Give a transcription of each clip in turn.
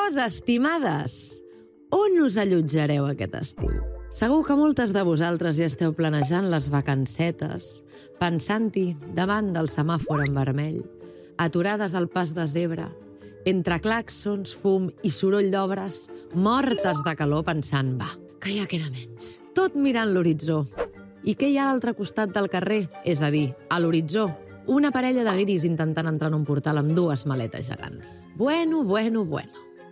Llavors, estimades, on us allotjareu aquest estiu? Segur que moltes de vosaltres ja esteu planejant les vacancetes, pensant-hi davant del semàfor en vermell, aturades al pas de zebra, entre clàxons, fum i soroll d'obres, mortes de calor pensant, va, que ja queda menys. Tot mirant l'horitzó. I què hi ha a l'altre costat del carrer? És a dir, a l'horitzó, una parella de guiris intentant entrar en un portal amb dues maletes gegants. Bueno.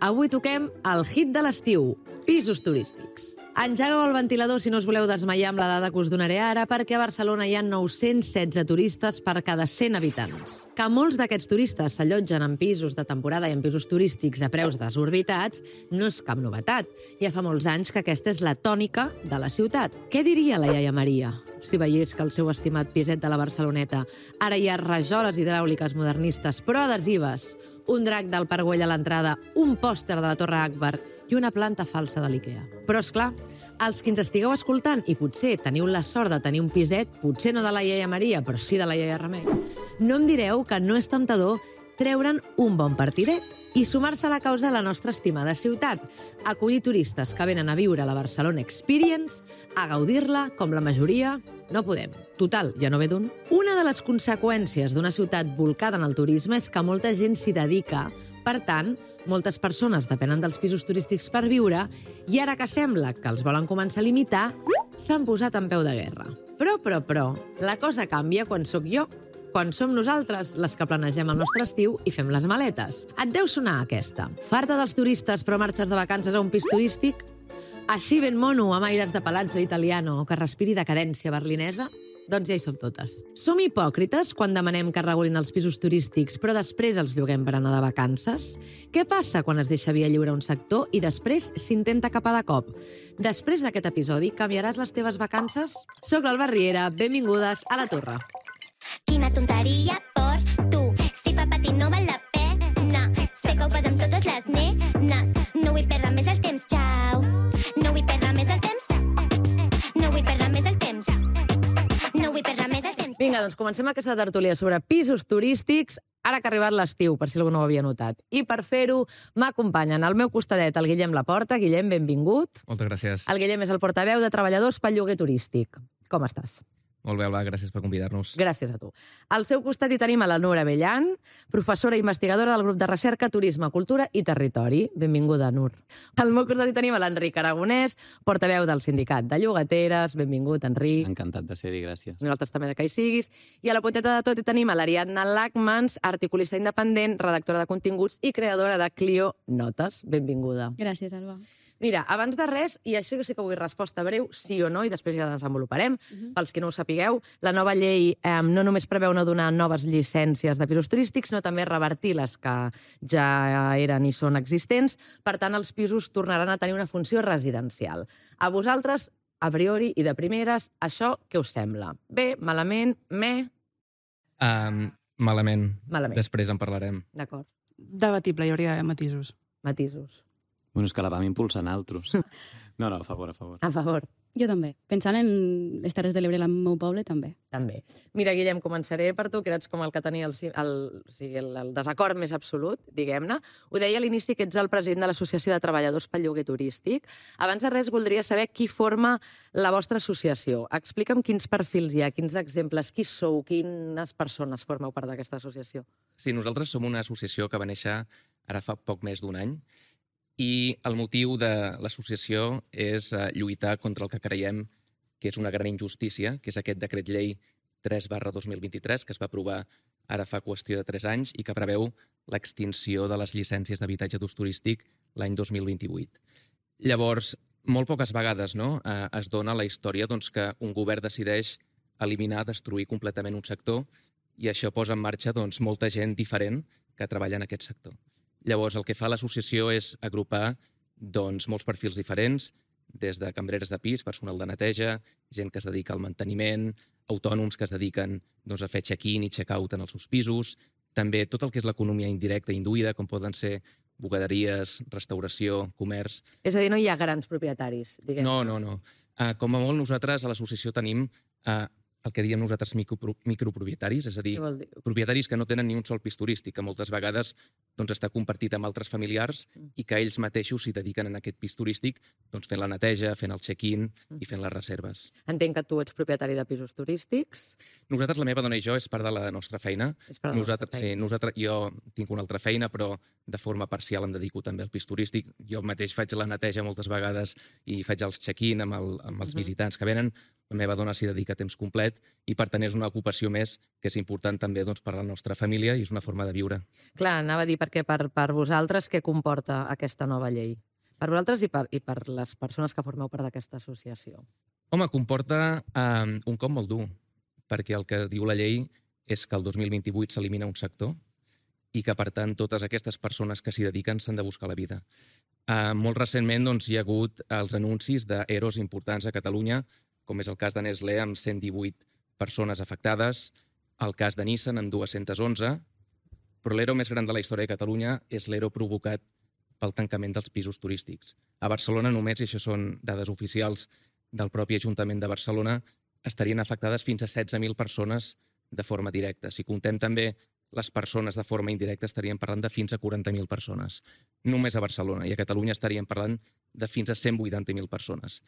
Avui toquem el hit de l'estiu, pisos turístics. Engegueu el ventilador si no us voleu desmaiar amb la dada que us donaré ara, perquè a Barcelona hi ha 916 turistes per cada 100 habitants. Que molts d'aquests turistes s'allotgen en pisos de temporada i en pisos turístics a preus desorbitats no és cap novetat. Ja fa molts anys que aquesta és la tònica de la ciutat. Què diria la iaia Maria si veiés que el seu estimat piset de la Barceloneta ara hi ha rajoles hidràuliques modernistes però adhesives, un drac del Parc Güell a l'entrada, un pòster de la Torre Akbar i una planta falsa de l'IKEA. Però, és clar, els que ens estigueu escoltant i potser teniu la sort de tenir un piset, potser no de la iaia Maria, però sí de la iaia Remei, no em direu que no és temptador treure'n un bon partidet i sumar-se a la causa de la nostra estimada ciutat, acollir turistes que venen a viure a la Barcelona Experience, a gaudir-la, com la majoria, no podem. Total, ja no ve d'un. Una de les conseqüències d'una ciutat volcada en el turisme és que molta gent s'hi dedica. Per tant, moltes persones depenen dels pisos turístics per viure i ara que sembla que els volen començar a limitar, s'han posat en peu de guerra. Però, la cosa canvia quan sóc jo, quan som nosaltres les que planegem el nostre estiu i fem les maletes. Et deu sonar aquesta. Farta dels turistes però marxes de vacances a un pis turístic? Així ben mono, amb aires de palazzo italiano o que respiri decadència berlinesa? Doncs ja hi som totes. Som hipòcrites quan demanem que regulin els pisos turístics però després els lloguem per anar de vacances? Què passa quan es deixa via lliure un sector i després s'intenta capar de cop? Després d'aquest episodi, canviaràs les teves vacances? Soc l'Alba Riera, benvingudes a La Torre. Quina tonteria per tu. Si fa patir no val la pena. Sé que ho fas amb totes les nenes. No vull perdre més el temps, xau. No vull perdre més el temps. No vull perdre més el temps. No vull perdre més el temps. Vinga, doncs comencem aquesta tertúlia sobre pisos turístics, ara que ha arribat l'estiu, per si algú no ho havia notat. I per fer-ho m'acompanyen al meu costadet el Guillem Laporta. Guillem, benvingut. Moltes gràcies. El Guillem és el portaveu de treballadors pel lloguer turístic. Com estàs? Molt bé, Alba, gràcies per convidar-nos. Gràcies a tu. Al seu costat hi tenim a la Nur Abellan, professora i investigadora del grup de recerca Turisme, Cultura i Territori. Benvinguda, Nur. Al meu costat hi tenim a l'Enric Aragonès, portaveu del Sindicat de Llogateres. Benvingut, Enric. Encantat de ser-hi, gràcies. Nosaltres també de que hi siguis. I a la punteta de tot hi tenim a l'Ariadna Lachmans, articulista independent, redactora de continguts i creadora de Clio Notes. Benvinguda. Gràcies, Alba. Mira, abans de res, i això sí que vull resposta breu, sí o no, i després ja desenvoluparem, pels que no ho sapigueu, la nova llei no només preveu no donar noves llicències de pisos turístics, sinó també revertir les que ja eren i són existents. Per tant, els pisos tornaran a tenir una funció residencial. A vosaltres, a priori i de primeres, això què us sembla? Bé, malament, Malament. Malament. Després en parlarem. D'acord. Debatible, hi hauria d'haver matisos. Matisos. Bueno, és que la vam impulsar nosaltres. No, a favor. A favor. Jo també. Pensant en les Terres de l'Ebre, el meu poble, també. També. Mira, Guillem, començaré per tu, que eres com el que tenia el desacord més absolut, diguem-ne. Ho deia a l'inici que ets el president de l'Associació de Treballadors pel Lloguer Turístic. Abans de res, voldria saber qui forma la vostra associació. Explica'm quins perfils hi ha, quins exemples, qui sou, quines persones formeu part d'aquesta associació. Sí, nosaltres som una associació que va néixer ara fa poc més d'un any i el motiu de l'associació és lluitar contra el que creiem que és una gran injustícia, que és aquest decret llei 3/2023, que es va aprovar ara fa qüestió de 3 anys i que preveu l'extinció de les llicències d'habitatge d'ús turístic l'any 2028. Llavors, molt poques vegades es dona a la història que un govern decideix eliminar, destruir completament un sector i això posa en marxa molta gent diferent que treballa en aquest sector. Llavors, el que fa l'associació és agrupar molts perfils diferents, des de cambreres de pis, personal de neteja, gent que es dedica al manteniment, autònoms que es dediquen a fer check-in i check-out en els seus pisos, també tot el que és l'economia indirecta i induïda, com poden ser bugaderies, restauració, comerç... És a dir, no hi ha grans propietaris, diguem. No. Com a molt, nosaltres a l'associació tenim el que diem nosaltres micropropietaris, és a dir, Què vol dir? propietaris que no tenen ni un sol pis turístic, que moltes vegades doncs, està compartit amb altres familiars i que ells mateixos s'hi dediquen en aquest pis turístic doncs, fent la neteja, fent el check-in i fent les reserves. Entenc que tu ets propietari de pisos turístics. Nosaltres, la meva dona i jo, és part de la nostra feina. És part de la vostra feina. Jo tinc una altra feina, però de forma parcial em dedico també al pis turístic. Jo mateix faig la neteja moltes vegades i faig els check-in amb els visitants que venen. La meva dona s'hi dedica a temps complet i, per tant, és una ocupació més que és important també doncs, per a la nostra família i és una forma de viure. Clar, anava a dir, perquè per vosaltres què comporta aquesta nova llei? Per vosaltres i per les persones que formeu part d'aquesta associació. Home, comporta un cop molt dur, perquè el que diu la llei és que el 2028 s'elimina un sector i que, per tant, totes aquestes persones que s'hi dediquen s'han de buscar la vida. Molt recentment doncs, hi ha hagut els anuncis d'EROs importants a Catalunya, com és el cas de Nestlé, amb 118 persones afectades, el cas de Nissan, amb 211, però l'ERO més gran de la història de Catalunya és l'ERO provocat pel tancament dels pisos turístics. A Barcelona només, i això són dades oficials del propi Ajuntament de Barcelona, estarien afectades fins a 16.000 persones de forma directa. Si contem també les persones de forma indirecta, estaríem parlant de fins a 40.000 persones. Només a Barcelona. I a Catalunya estaríem parlant de fins a 180.000 persones.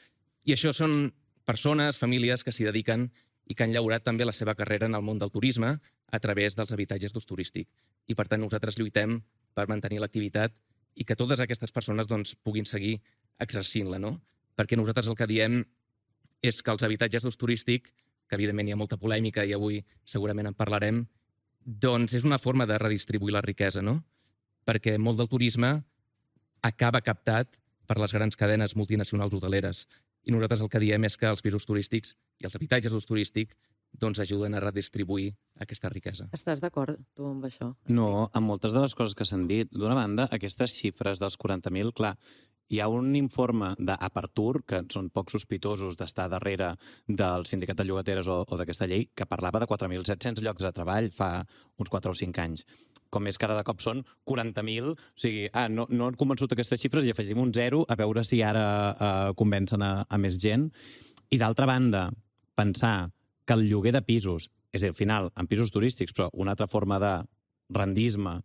I això són persones, famílies que s'hi dediquen i que han llaurat també la seva carrera en el món del turisme a través dels habitatges d'ús turístic. I, per tant, nosaltres lluitem per mantenir l'activitat i que totes aquestes persones doncs, puguin seguir exercint-la, no? Perquè nosaltres el que diem és que els habitatges d'ús turístic, que evidentment hi ha molta polèmica i avui segurament en parlarem, doncs és una forma de redistribuir la riquesa, no? Perquè molt del turisme acaba captat per les grans cadenes multinacionals hoteleres. I nosaltres el que diem és que els pisos turístics i els habitatges d'ús turístic doncs ajuden a redistribuir aquesta riquesa. Estàs d'acord, tu, amb això? No, amb moltes de les coses que s'han dit. D'una banda, aquestes xifres dels 40.000, clar, hi ha un informe d'Apertur, que són poc sospitosos d'estar darrere del sindicat de llogateres o d'aquesta llei, que parlava de 4.700 llocs de treball fa uns 4 o 5 anys. Com més que ara de cop són 40.000, o sigui, no han convençut aquestes xifres i afegim un 0 a veure si ara convencen a més gent. I d'altra banda, pensar que el lloguer de pisos, és a dir, al final, en pisos turístics, però una altra forma de rendisme,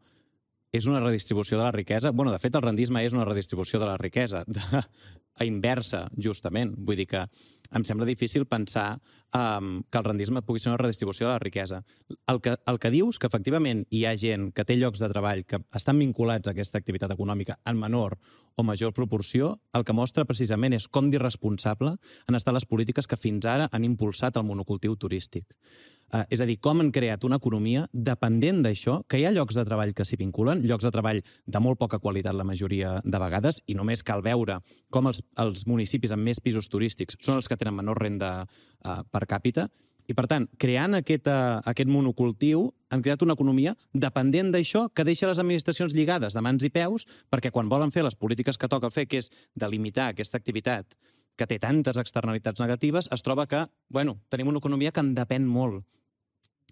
és una redistribució de la riquesa. Bueno, de fet, el rendisme és una redistribució de la riquesa, a inversa, justament. Vull dir que em sembla difícil pensar que el rendisme pugui ser una redistribució de la riquesa. El que dius, que efectivament hi ha gent que té llocs de treball que estan vinculats a aquesta activitat econòmica en menor o major proporció, el que mostra precisament és com d'irresponsable han estat les polítiques que fins ara han impulsat el monocultiu turístic. És a dir, com han creat una economia dependent d'això, que hi ha llocs de treball que s'hi vinculen, llocs de treball de molt poca qualitat la majoria de vegades, i només cal veure com els municipis amb més pisos turístics són els que tenen menor renda per càpita, i per tant, creant aquest monocultiu, han creat una economia dependent d'això que deixa les administracions lligades de mans i peus, perquè quan volen fer les polítiques que toca fer, que és delimitar aquesta activitat que té tantes externalitats negatives, es troba que, tenim una economia que en depèn molt.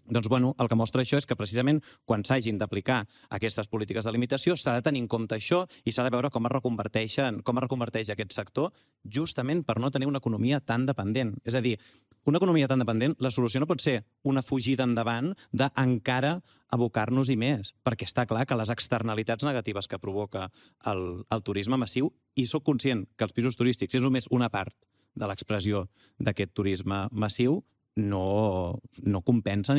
Doncs, el que mostra això és que precisament quan s'hagin d'aplicar aquestes polítiques de limitació s'ha de tenir en compte això i s'ha de veure com es reconverteix aquest sector justament per no tenir una economia tan dependent. És a dir, una economia tan dependent, la solució no pot ser una fugida endavant d'encara abocar-nos-hi més, perquè està clar que les externalitats negatives que provoca el turisme massiu, i soc conscient que els pisos turístics és només una part de l'expressió d'aquest turisme massiu, no compensen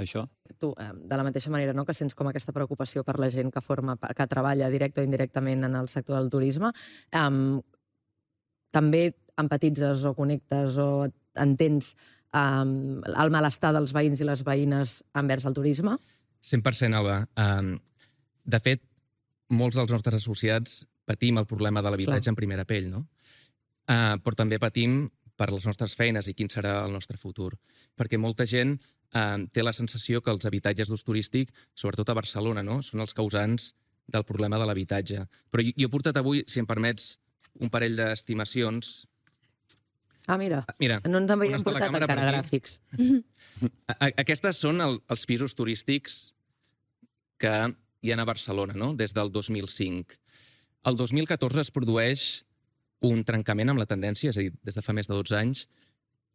això. Tu, de la mateixa manera que sents com aquesta preocupació per la gent que treballa directe o indirectament en el sector del turisme, també empatitzes o connectes o entens el malestar dels veïns i les veïnes envers el turisme? 100%, Alba. De fet, molts dels nostres associats patim el problema de l'habitatge en primera pell, no? Però també patim per les nostres feines i quin serà el nostre futur. Perquè molta gent té la sensació que els habitatges d'ús turístic, sobretot a Barcelona, són els causants del problema de l'habitatge. Però jo he portat avui, si em permets, un parell d'estimacions. Mira, no ens en havíem portat encara gràfics. Aquestes són els pisos turístics que hi ha a Barcelona, des del 2005. El 2014 es produeix un trencament amb la tendència, és a dir, des de fa més de 12 anys,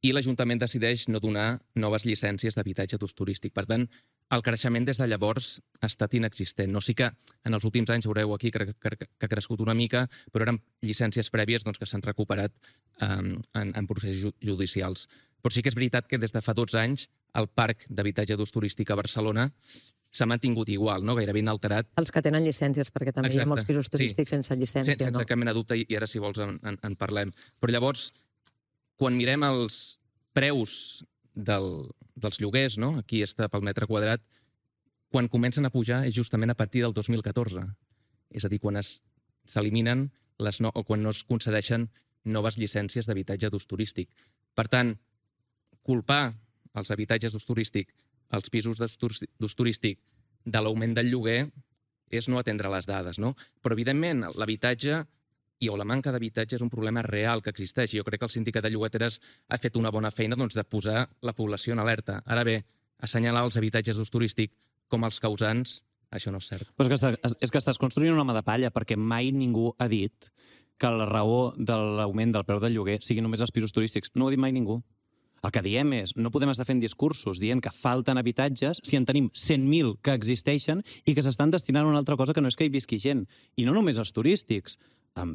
i l'Ajuntament decideix no donar noves llicències d'habitatge d'ús turístic. Per tant, el creixement des de llavors ha estat inexistent. No, sí que en els últims anys veureu aquí que ha crescut una mica, però eren llicències prèvies que s'han recuperat en processos judicials. Però sí que és veritat que des de fa 12 anys el parc d'habitatge d'ús turístic a Barcelona s'ha mantingut igual, no? Gairebé inalterat. Els que tenen llicències, perquè també hi ha molts pisos turístics sense llicència. Sense cap mena de dubte, i ara, si vols, en parlem. Però llavors, quan mirem els preus dels lloguers, no? Aquí està pel metre quadrat, quan comencen a pujar és justament a partir del 2014. És a dir, quan s'eliminen o quan no es concedeixen noves llicències d'habitatge d'ús turístic. Per tant, culpar els habitatges d'ús turístic, els pisos d'ús turístic, de l'augment del lloguer és no atendre les dades, no? Però, evidentment, l'habitatge o la manca d'habitatge és un problema real que existeix. Jo crec que el Sindicat de Llogateres ha fet una bona feina de posar la població en alerta. Ara bé, assenyalar els habitatges d'ús turístic com els causants, això no és cert. Però és que estàs construint un home de palla, perquè mai ningú ha dit que la raó de l'augment del preu del lloguer sigui només els pisos turístics. No ho ha dit mai ningú. El que diem és, no podem estar fent discursos dient que falten habitatges si en tenim 100.000 que existeixen i que s'estan destinant a una altra cosa que no és que hi visqui gent. I no només els turístics,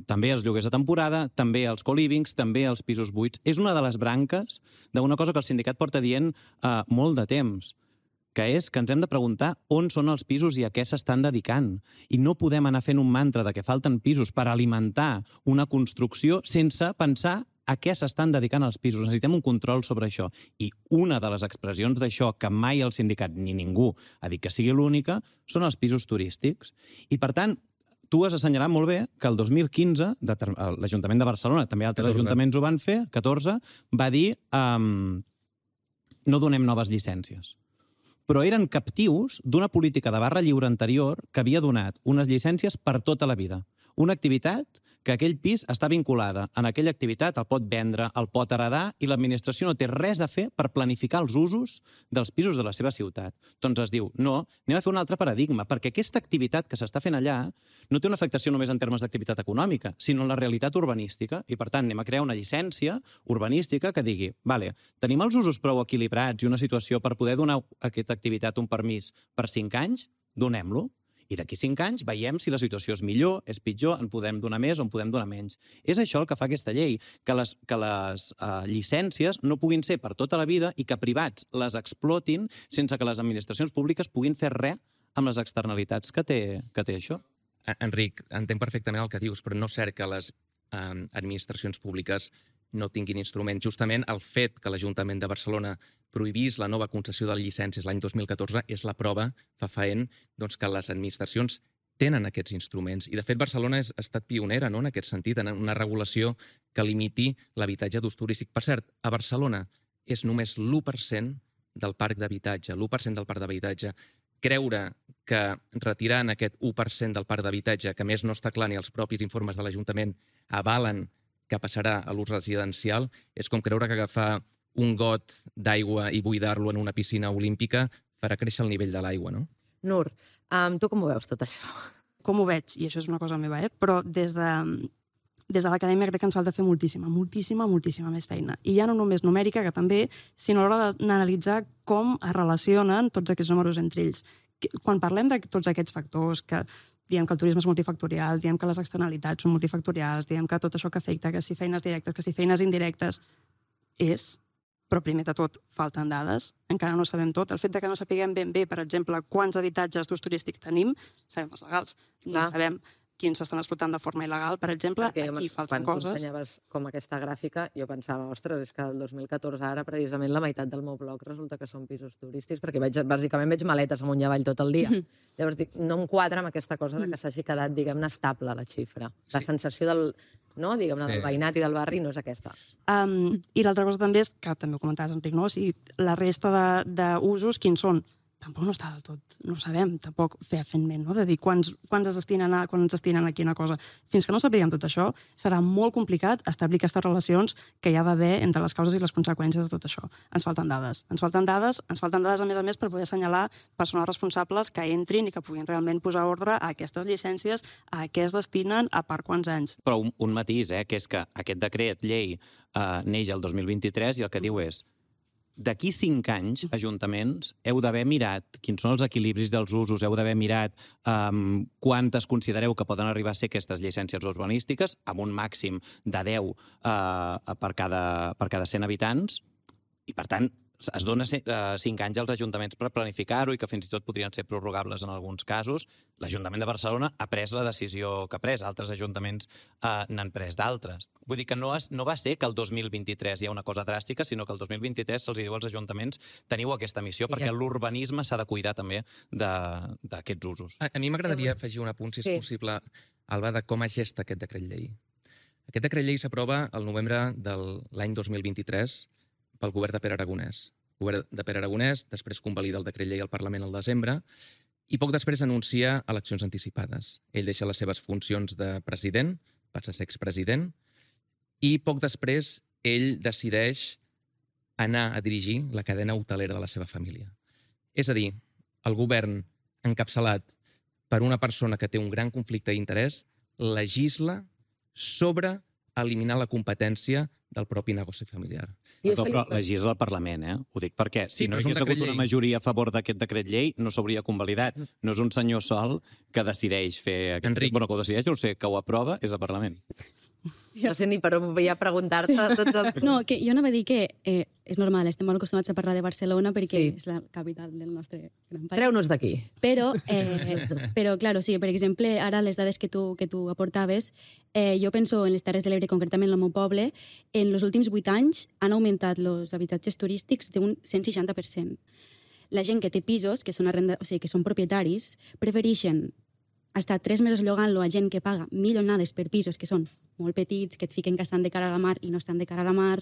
també els lloguers de temporada, també els co-livings, també els pisos buits. És una de les branques d'una cosa que el sindicat porta dient molt de temps, que és que ens hem de preguntar on són els pisos i a què s'estan dedicant. I no podem anar fent un mantra de que falten pisos per alimentar una construcció sense pensar a què s'estan dedicant els pisos. Necessitem un control sobre això. I una de les expressions d'això que mai el sindicat ni ningú ha dit que sigui l'única són els pisos turístics. I, per tant, tu has assenyalat molt bé que el 2015 l'Ajuntament de Barcelona, també altres ajuntaments ho van fer, 14, va dir no donem noves llicències. Però eren captius d'una política de barra lliure anterior que havia donat unes llicències per tota la vida. Una activitat que aquell pis està vinculada. En aquella activitat el pot vendre, el pot heredar, i l'administració no té res a fer per planificar els usos dels pisos de la seva ciutat. Doncs es diu, no, anem a fer un altre paradigma, perquè aquesta activitat que s'està fent allà no té una afectació només en termes d'activitat econòmica, sinó en la realitat urbanística, i per tant anem a crear una llicència urbanística que digui, vale, tenim els usos prou equilibrats i una situació per poder donar a aquesta activitat un permís per 5 anys, donem-lo. I d'aquí 5 anys veiem si la situació és millor, és pitjor, en podem donar més o en podem donar menys. És això el que fa aquesta llei, que les llicències no puguin ser per tota la vida i que privats les explotin sense que les administracions públiques puguin fer res amb les externalitats que té això. Enric, entenc perfectament el que dius, però no és cert que les administracions públiques no tinguin instruments. Justament el fet que l'Ajuntament de Barcelona prohibís la nova concessió de llicències l'any 2014 és la prova fefaent que les administracions tenen aquests instruments. I, de fet, Barcelona ha estat pionera en aquest sentit, en una regulació que limiti l'habitatge d'ús turístic. Per cert, a Barcelona és només l'1% del parc d'habitatge, l'1% del parc d'habitatge. Creure que retirant aquest 1% del parc d'habitatge, que a més no està clar ni els propis informes de l'Ajuntament avalen que passarà a l'ús residencial, és com creure que agafar un got d'aigua i buidar-lo en una piscina olímpica farà créixer el nivell de l'aigua, no? Nur, tu com ho veus tot això? Com ho veig, i això és una cosa meva, però des de l'acadèmia crec que ens falta fer moltíssima més feina. I ja no només numèrica, que també, sinó a l'hora d'analitzar com es relacionen tots aquests números entre ells. Quan parlem de tots aquests factors, que diem que el turisme és multifactorial, diem que les externalitats són multifactorials, diem que tot això que afecta, que si feines directes, que si feines indirectes, però primer de tot falten dades, encara no sabem tot. El fet que no sapiguem ben bé, per exemple, quants habitatges d'ús turístic tenim, sabem els legals, no sabem quins s'estan explotant de forma il·legal, per exemple, aquí falten coses. Quan ensenyaves com aquesta gràfica, jo pensava, ostres, és que el 2014 ara precisament la meitat del meu blog resulta que són pisos turístics, perquè bàsicament veig maletes amunt i avall tot el dia. Llavors dic, no em quadra amb aquesta cosa que s'hagi quedat, diguem-ne, estable la xifra. La sensació del veïnat i del barri no és aquesta. I l'altra cosa també és, que també ho comentaves, Enric, la resta d'usos, quins són? tampoc no està del tot, no ho sabem tampoc fefaentment, no? De dir quants es destinen a quina cosa. Fins que no sapiguem tot això, serà molt complicat establir aquestes relacions que hi ha d'haver entre les causes i les conseqüències de tot això. Ens falten dades, a més per poder assenyalar persones responsables que entrin i que puguin realment posar ordre a aquestes llicències, a què es destinen, a per quants anys. Però un matís, que és que aquest decret llei neix el 2023 i el que diu és d'aquí 5 anys, ajuntaments, heu d'haver mirat quins són els equilibris dels usos, heu d'haver mirat quantes considereu que poden arribar a ser aquestes llicències urbanístiques, amb un màxim de 10 per cada 100 habitants, i per tant es dona 5 anys als ajuntaments per planificar-ho i que fins i tot podrien ser prorrogables en alguns casos. L'Ajuntament de Barcelona ha pres la decisió que ha pres, altres ajuntaments n'han pres d'altres. Vull dir que no va ser que el 2023 hi ha una cosa dràstica, sinó que el 2023 se'ls diu als ajuntaments teniu aquesta missió perquè l'urbanisme s'ha de cuidar també d'aquests usos. A mi m'agradaria afegir un apunt, si és possible, Alba, de com es gesta aquest decret llei. Aquest decret llei s'aprova al novembre de l'any 2023 pel govern de Pere Aragonès. El govern de Pere Aragonès després convalida el decret llei al Parlament al desembre i poc després anuncia eleccions anticipades. Ell deixa les seves funcions de president, passa a ser expresident, i poc després ell decideix anar a dirigir la cadena hotelera de la seva família. És a dir, el govern encapçalat per una persona que té un gran conflicte d'interès legisla sobre eliminar la competència del propi negoci familiar. Però legisla el Parlament, Ho dic perquè si no hi hagués hagut una majoria a favor d'aquest decret llei, no s'hauria convalidat. No és un senyor sol que decideix fer aquest... Enric. Bueno, que ho decideix, no sé, que ho aprova, és el Parlament. No sé ni per on volia preguntar-te tots els... No, que jo anava a dir que és normal, estem molt acostumats a parlar de Barcelona perquè és la capital del nostre gran país. Treu-nos d'aquí. Però, claro, sí, per exemple, ara les dades que tu aportaves, jo penso en les Terres de l'Ebre, concretament en el meu poble, en els últims 8 anys han augmentat els habitatges turístics d'un 160%. La gent que té pisos, que són propietaris, prefereixen estar 3 mesos llogant-lo a gent que paga milionades per pisos que són molt petits, que et fiquen que estan de cara a la mar i no estan de cara a la mar.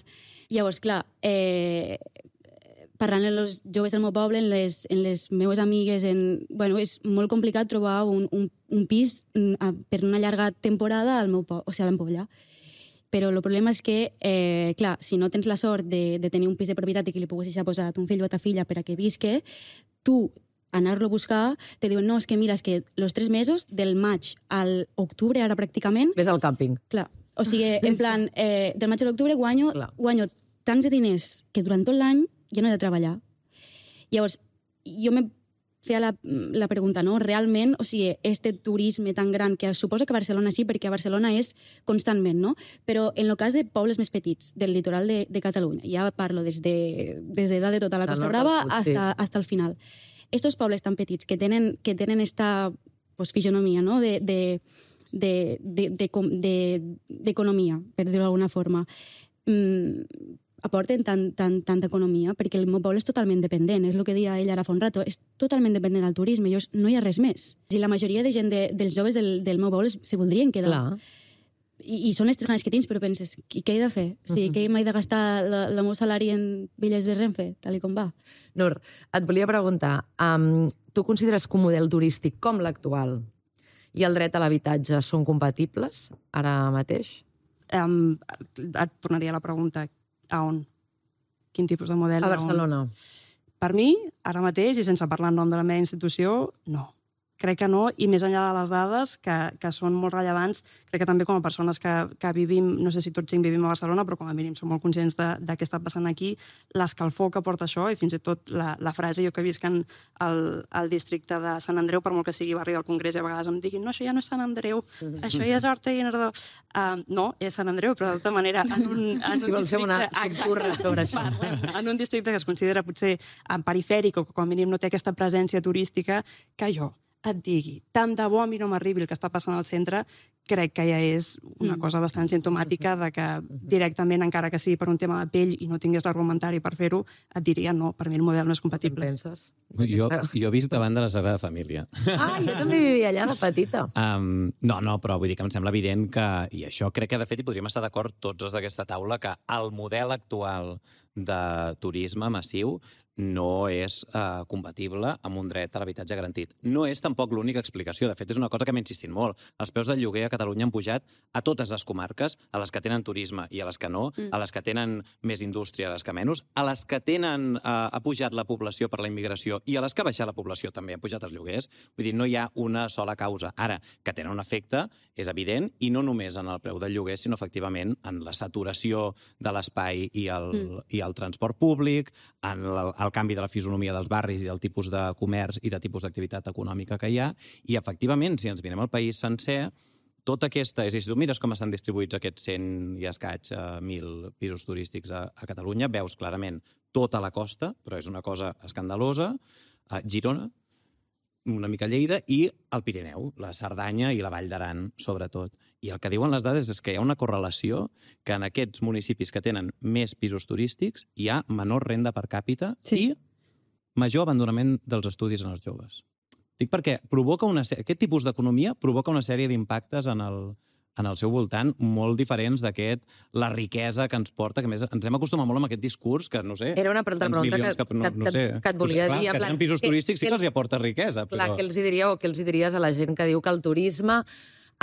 Llavors, clar, parlant amb els joves del meu poble, en les meues amigues, és molt complicat trobar un pis per una llarga temporada al meu poble, o sigui, a l'Ampolla. Però el problema és que, clar, si no tens la sort de tenir un pis de propietat i que li puguis deixar posat un fill o ta filla per a que visque, tu anar-lo a buscar, te diuen, no, és que mira, és que els 3 mesos, del maig a l'octubre, ara pràcticament... Ves al càmping. Clar, o sigui, en plan, del maig a l'octubre guanyo tants de diners que durant tot l'any ja no he de treballar. Llavors, jo me feia la pregunta, no? Realment, o sigui, este turisme tan gran, que suposo que a Barcelona sí, perquè a Barcelona és constantment, no? Però en el cas de pobles més petits, del litoral de Catalunya, ja parlo des de dalt de tota la Costa Brava hasta el final. Estos pobles tan petits que tenen esta fisionomia, no? d'economia, per dir-ho d'alguna forma, aporten tanta economia, perquè el meu poble és totalment dependent, és el que deia ell ara fa un rato, és totalment dependent del turisme, no hi ha res més. I la majoria de gent dels joves del meu poble se voldrien quedar. Clar. I són les 3 ganes que tens, però penses, què he de fer? O sigui, què m'he de gastar el meu salari en bitllets de Renfe, tal com va? Nur, et volia preguntar, tu consideres que un model turístic com l'actual i el dret a l'habitatge són compatibles ara mateix? Et tornaria a la pregunta, a on? Quin tipus de model? A Barcelona. Per mi, ara mateix, i sense parlar en nom de la meva institució, no. Crec que no, i més enllà de les dades, que són molt rellevants, crec que també com a persones que vivim, no sé si tots 5 vivim a Barcelona, però com a mínim som molt conscients de què està passant aquí, l'escalfor que porta això, i fins i tot la frase, jo que visc al districte de Sant Andreu, per molt que sigui barri del Congrés, i a vegades em diguin, no, això ja no és Sant Andreu, això ja és Horta i Guinardó. No, és Sant Andreu, però d'altra manera, en un districte que es considera potser perifèric o que com a mínim no té aquesta presència turística, que jo et digui, tant de bo a mi no m'arribi el que està passant al centre, crec que ja és una cosa bastant simptomàtica de que directament, encara que sigui per un tema de pell i no tingués l'argumentari per fer-ho, et diria no, per mi el model no és compatible. Què penses? Jo he vist davant de la Sagrada Família. Ah, jo també vivia allà de petita. No, però vull dir que em sembla evident que, i això crec que de fet hi podríem estar d'acord tots els d'aquesta taula, que el model actual de turisme massiu no és compatible amb un dret a l'habitatge garantit. No és tampoc l'única explicació. De fet, és una cosa que m'he insistit molt. Els preus del lloguer a Catalunya han pujat a totes les comarques, a les que tenen turisme i a les que no, a les que tenen més indústria, a les que menys, a les que tenen ha pujat la població per la immigració i a les que ha baixat la població també han pujat els lloguers. Vull dir, no hi ha una sola causa. Ara, que tenen un efecte és evident, i no només en el preu del lloguer, sinó efectivament en la saturació de l'espai i el transport públic, en el canvi de la fisonomia dels barris i del tipus de comerç i de tipus d'activitat econòmica que hi ha, i efectivament, si ens mirem el país sencer, tota aquesta... És a dir, si tu mires com estan distribuïts aquests 100 i escaig 1.000 pisos turístics a Catalunya, veus clarament tota la costa, però és una cosa escandalosa, Girona, una mica Lleida, i el Pirineu, la Cerdanya i la Vall d'Aran, sobretot. I el que diuen les dades és que hi ha una correlació que en aquests municipis que tenen més pisos turístics hi ha menor renda per càpita i major abandonament dels estudis en els joves. Dic perquè aquest tipus d'economia provoca una sèrie d'impactes en el seu voltant molt diferents la riquesa que ens porta, que més ens hem acostumat molt amb aquest discurs que, no sé... Era una altra pregunta que et volia dir. Que tenen pisos turístics sí que els aporta riquesa. Clar, què els diries a la gent que diu que el turisme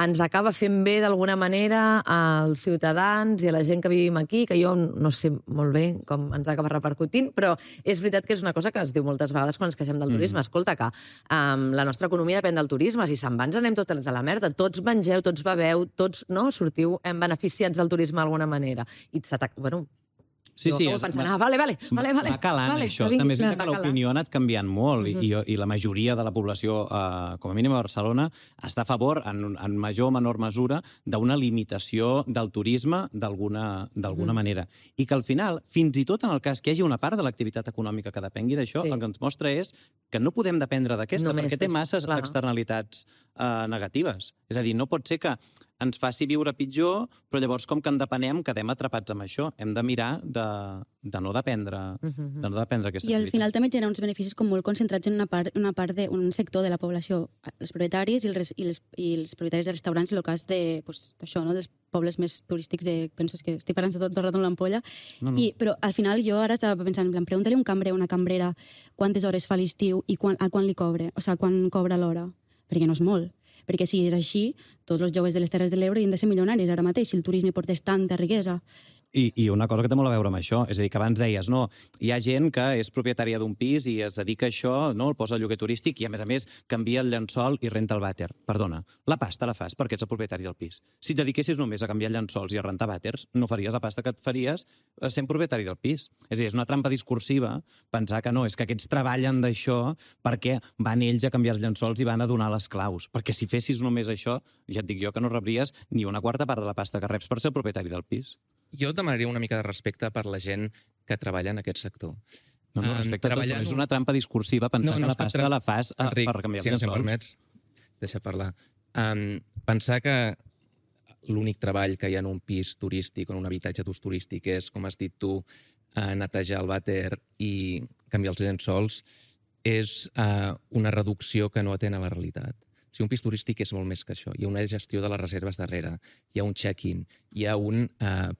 ens acaba fent bé d'alguna manera als ciutadans i a la gent que vivim aquí, que jo no sé molt bé com ens acaba repercutint, però és veritat que és una cosa que es diu moltes vegades quan ens queixem del turisme. Escolta, que la nostra economia depèn del turisme. Si se'n va, ens anem tots a la merda. Tots mengeu, tots beveu, tots sortiu beneficiats del turisme d'alguna manera. I bueno... Sí, pensant, vale. Va calant, això. També és que l'opinió ha anat canviant molt i la majoria de la població, com a mínim a Barcelona, està a favor, en major o menor mesura, d'una limitació del turisme d'alguna manera. I que al final, fins i tot en el cas que hi hagi una part de l'activitat econòmica que depengui d'això, el que ens mostra és que no podem dependre d'aquesta, perquè té masses externalitats negatives. És a dir, no pot ser que ens faci viure pitjor, però llavors com que en depenem quedem atrapats amb això. Hem de mirar de no dependre aquesta I al final també genera uns beneficis com molt concentrats en una part d'un sector de la població, els propietaris i els propietaris de restaurants i locals d'això, dels pobles més turístics, penso que estic parlant tot el rato amb l'ampolla, però al final jo ara estava pensant, pregunta-li a un cambrer o una cambrera quantes hores fa l'estiu i a quan li cobra, o sigui, quan cobra l'hora, perquè no és molt. Perquè si és així, tots els joves de les Terres de l'Ebre han de ser milionaris ara mateix, si el turisme portés tanta riquesa. I una cosa que té molt a veure amb això, és a dir, que abans deies, no, hi ha gent que és propietària d'un pis i es dedica a això, no, el posa al lloguer turístic i, a més, canvia el llençol i renta el vàter. Perdona, la pasta la fas perquè ets el propietari del pis. Si et dediquessis només a canviar llençols i a rentar vàters, no faries la pasta que et faries sent propietari del pis. És a dir, és una trampa discursiva pensar que no, és que aquests treballen d'això perquè van ells a canviar els llençols i van a donar les claus. Perquè si fessis només això, ja et dic jo que no rebries ni una quarta part de la pasta que reps per ser el propietari del pis. Jo demanaria una mica de respecte per la gent que treballa en aquest sector. No, respecte a tot, és una trampa discursiva pensar que la pasta la fas per canviar els llençols. Si em permets, deixa parlar. Pensar que l'únic treball que hi ha en un pis turístic o en un habitatge d'ús turístic és, com has dit tu, netejar el vàter i canviar els llençols és una reducció que no atén a la realitat. Si un pis turístic és molt més que això. Hi ha una gestió de les reserves darrere, hi ha un check-in, hi ha un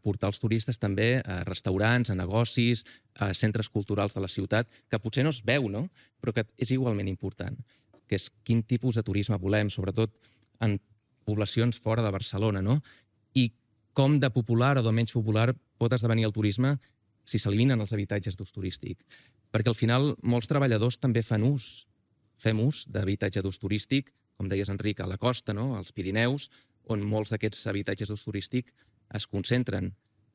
portar els turistes també a restaurants, a negocis, a centres culturals de la ciutat, que potser no es veu, no? Però que és igualment important, que és quin tipus de turisme volem, sobretot en poblacions fora de Barcelona, no? I com de popular o de menys popular pot esdevenir el turisme si s'eliminen els habitatges d'ús turístic. Perquè al final molts treballadors també fem ús d'habitatge d'ús turístic, com deies, Enric, a la costa, no? Als Pirineus, on molts d'aquests habitatges d'ús turístic es concentren.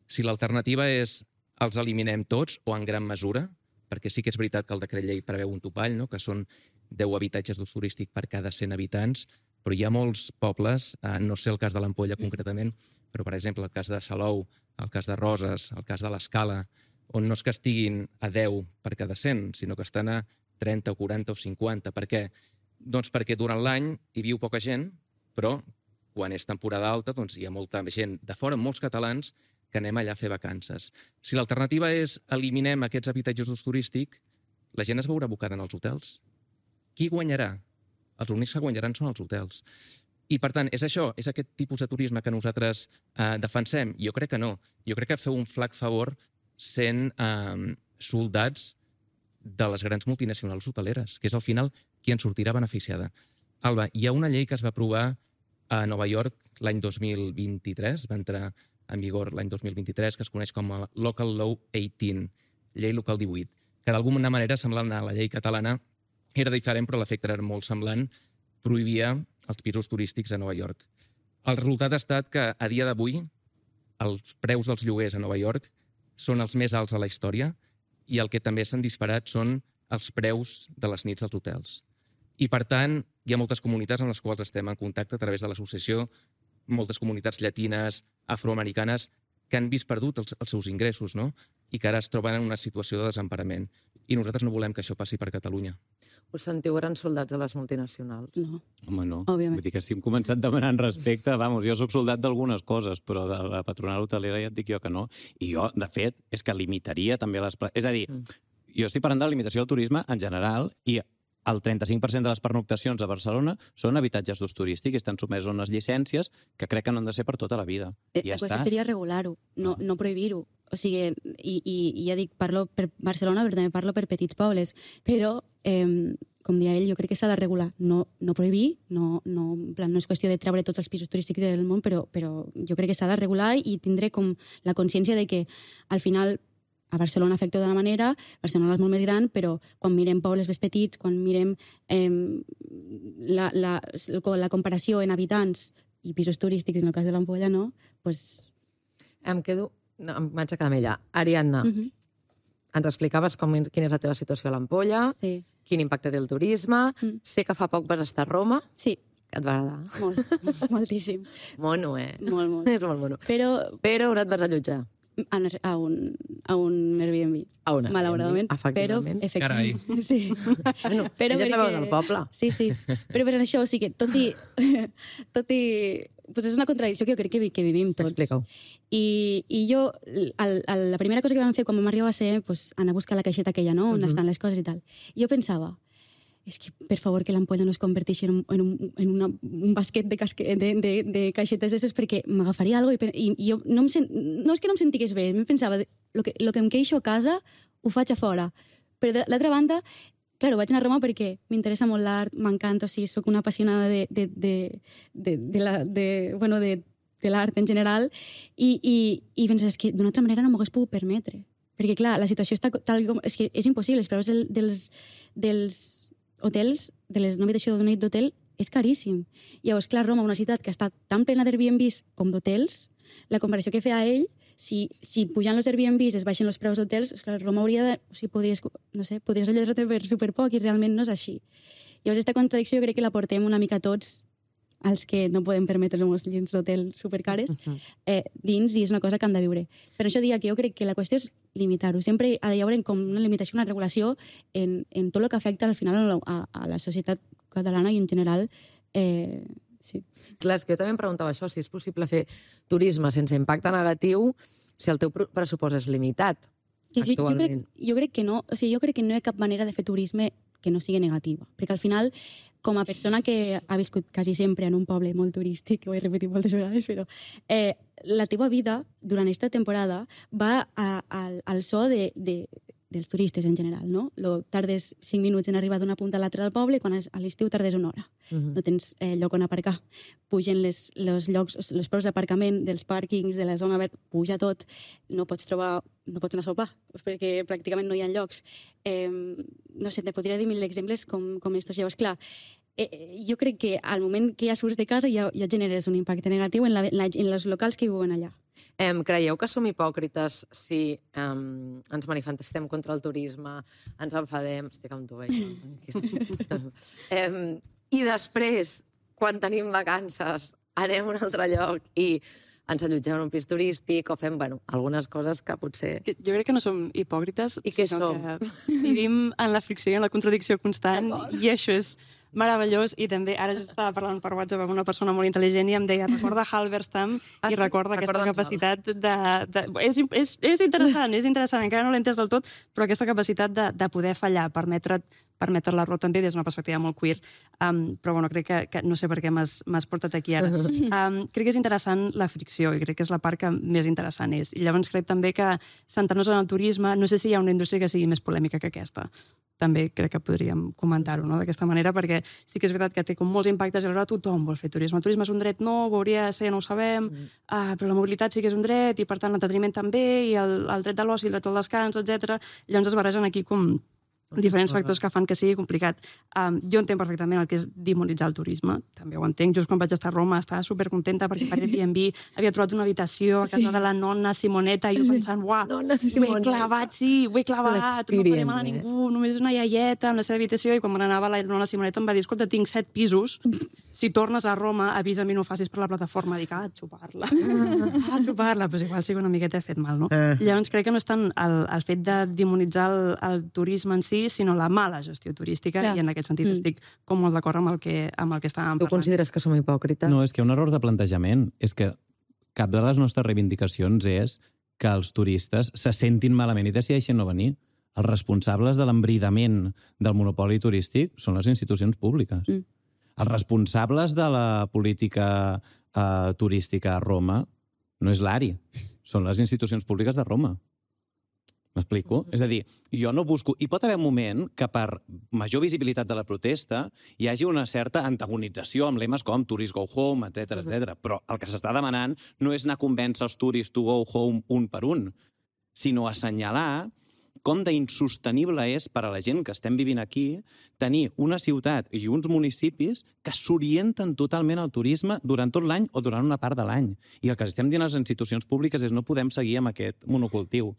Si l'alternativa és els eliminem tots o en gran mesura, perquè sí que és veritat que el decret llei preveu un topall, no? Que són 10 habitatges d'ús turístic per cada 100 habitants, però hi ha molts pobles, no sé el cas de l'Ampolla concretament, però per exemple el cas de Salou, el cas de Roses, el cas de l'Escala, on no és que estiguin a 10 per cada 100, sinó que estan a 30 o 40 o 50. Per què? Doncs perquè durant l'any hi viu poca gent, però quan és temporada alta doncs hi ha molta gent de fora, molts catalans, que anem allà a fer vacances. Si l'alternativa és eliminem aquests habitatges d'ús turístic, la gent es veurà abocada en els hotels. Qui guanyarà? Els únics que guanyaran són els hotels. I, per tant, és això, és aquest tipus de turisme que nosaltres defensem? Jo crec que no. Jo crec que feu un flac favor sent soldats de les grans multinacionals hoteleres, que és al final qui en sortirà beneficiada. Alba, hi ha una llei que es va aprovar a Nova York l'any 2023, va entrar en vigor l'any 2023, que es coneix com a Local Law 18, llei local 18, que d'alguna manera, semblant a la llei catalana, era diferent, però l'efecte era molt semblant, prohibia els pisos turístics a Nova York. El resultat ha estat que, a dia d'avui, els preus dels lloguers a Nova York són els més alts de la història i el que també s'han disparat són els preus de les nits dels hotels. I, per tant, hi ha moltes comunitats amb les quals estem en contacte a través de l'associació, moltes comunitats llatines, afroamericanes, que han vist perdut els seus ingressos, no? I que ara es troben en una situació de desemparament. I nosaltres no volem que això passi per Catalunya. Us sentiu grans soldats de les multinacionals? No. Home, no. Òbviament. Vull dir que si hem començat demanant respecte, jo soc soldat d'algunes coses, però de la patronal hotelera ja et dic jo que no. I jo, de fet, és que limitaria també les... És a dir, jo estic parlant de la limitació del turisme en general i el 35% de les pernoctacions a Barcelona són habitatges d'ús turístic i estan sotmesos a unes llicències que crec que no han de ser per tota la vida. La qüestió seria regular-ho, no prohibir-ho. O sigui, i ja dic, parlo per Barcelona, però també parlo per petits pobles. Però, com deia ell, jo crec que s'ha de regular. No prohibir, no és qüestió de treure tots els pisos turístics del món, però jo crec que s'ha de regular i tindré com la consciència de que, al final, a Barcelona afecta d'una manera, Barcelona és molt més gran, però quan mirem pobles més petits, quan mirem la comparació en habitants i pisos turístics, en el cas de l'Ampolla, no? Pues... Em vaig a quedar amb ella. Ariadna, ens explicaves quina és la teva situació a l'Ampolla, sí. Quin impacte té el turisme. Sé que fa poc vas estar a Roma. Sí. Que et va agradar. Molt, moltíssim. Mono, Molt. És molt mono. Però on et vas allotjar? a un Airbnb. Malauradament. Efectivament. Però, Carai. Sí. Bueno, però ja sabeu del poble. Sí. Però per això, o sigui que tot i pues és una contradicció que jo crec que vivim tots. Explica-ho. I jo, la primera cosa que vam fer quan vam arribar va ser pues, anar a buscar la caixeta aquella, no? On estan les coses i tal. I jo pensava, és que, per favor, que l'Ampolla no es converteixi en un basquet de caixetes d'estes perquè m'agafaria alguna cosa i jo no és que no em sentigués bé, em pensava, lo que em queixo a casa ho faig a fora. Però de l'altra banda, claro, vaig anar a Roma perquè m'interessa molt l'art, m'encanta, o sigui, soc una apassionada de l'art en general i penses, és que d'una altra manera no m'ho hagués pogut permetre. Perquè, clar, la situació està tal com... És que és impossible, els preus dels hotels, de les habitacions d'una nit d'hotel, és caríssim. Llavors, clar, Roma, una ciutat que està tan plena d'Airbnbs com d'hotels, la comparació que feia ell, si pujant els Airbnbs es baixen els preus d'hotels, clar, Roma hauria de... O sigui, podries allotjar-te per superpoc i realment no és així. Llavors, aquesta contradicció jo crec que la portem una mica tots els que no podem permetre-nos llits d'hotel supercares dins, i és una cosa que hem de viure. Per això diria que jo crec que la qüestió és limitar-ho. Sempre ha de haver com una limitació, una regulació en tot el que afecta al final a la societat catalana i en general. Sí. Clar, és que jo també em preguntava això, si és possible fer turisme sense impacte negatiu si el teu pressupost és limitat actualment. Jo crec que no. O sigui, jo crec que no hi ha cap manera de fer turisme que no sigui negativa. Perquè al final, com a persona que ha viscut quasi sempre en un poble molt turístic, que ho he repetit moltes vegades, però la teva vida durant aquesta temporada va al so dels turistes en general, no? Tardes 5 minuts en arribar d'una punta a l'altra del poble, quan a l'estiu tardes 1 hora. No tens lloc on aparcar. Pugen els preus d'aparcament dels pàrquings, de la zona verd, puja tot. No pots anar a sopar, perquè pràcticament no hi ha llocs. No sé, te podria dir 1000 exemples com estos. Llavors, clar, jo crec que al moment que ja surts de casa ja generes un impacte negatiu en els locals que viuen allà. Creieu que som hipòcrites si ens manifestem contra el turisme, ens enfadem, estic amb tu, i després, quan tenim vacances, anem a un altre lloc i ens allotgem en un pis turístic o fem, algunes coses que potser... Jo crec que no som hipòcrites, I què som? Que vivim en la fricció i en la contradicció constant, i això és meravellós. I també, ara jo estava parlant per WhatsApp amb una persona molt intel·ligent i em deia, recorda Halberstam i recorda aquesta capacitat És interessant, encara no l'he entès del tot, però aquesta capacitat de poder fallar, permetre't permetre l'error també des d'una perspectiva molt queer. Però bueno, crec que no sé per què m'has portat aquí ara. Crec que és interessant la fricció i crec que és la part que més interessant és. I llavors crec també que centrar-nos en el turisme, no sé si hi ha una indústria que sigui més polèmica que aquesta. També crec que podríem comentar-ho, no?, d'aquesta manera, perquè sí que és veritat que té com molts impactes i alhora tothom vol fer turisme. El turisme és un dret nou, ho hauria de ser, no ho sabem, però la mobilitat sí que és un dret i per tant l'entreteniment també, i el dret de l'oci, el dret al descans, etc. Llavors es barregen aquí com diferents factors que fan que sigui complicat. Jo entenc perfectament el que és demonitzar el turisme, també ho entenc. Just quan vaig estar a Roma estava supercontenta perquè per Airbnb havia trobat una habitació a casa de la nonna Simoneta i jo pensant, uah, ho he clavat, ho he clavat, no faré mal a ningú, només és una iaieta en la seva habitació, i quan me n'anava la nonna Simoneta em va dir, escolta, tinc 7 pisos, si tornes a Roma avisa'm i no ho facis per la plataforma. Dic, xupar-la, però igual sí que una miqueta he fet mal, no? Llavors crec que no és tant el fet de demonitzar el turisme en si, sinó la mala gestió turística, i en aquest sentit estic com molt d'acord amb el que estàvem parlant. Tu consideres que som hipòcrites? No, és que hi ha un error de plantejament. És que cap de les nostres reivindicacions és que els turistes se sentin malament i decideixin no venir. Els responsables de l'embridament del monopoli turístic són les institucions públiques. Els responsables de la política turística a Roma no és l'ARI, són les institucions públiques de Roma. M'explico? És a dir, jo no busco... Hi pot haver un moment que per major visibilitat de la protesta hi hagi una certa antagonització amb lemes com Tourists Go Home, etc. Però el que s'està demanant no és anar a convèncer els tourists to go home un per un, sinó assenyalar com d'insostenible és per a la gent que estem vivint aquí tenir una ciutat i uns municipis que s'orienten totalment al turisme durant tot l'any o durant una part de l'any. I el que estem dient a les institucions públiques és no podem seguir amb aquest monocultiu.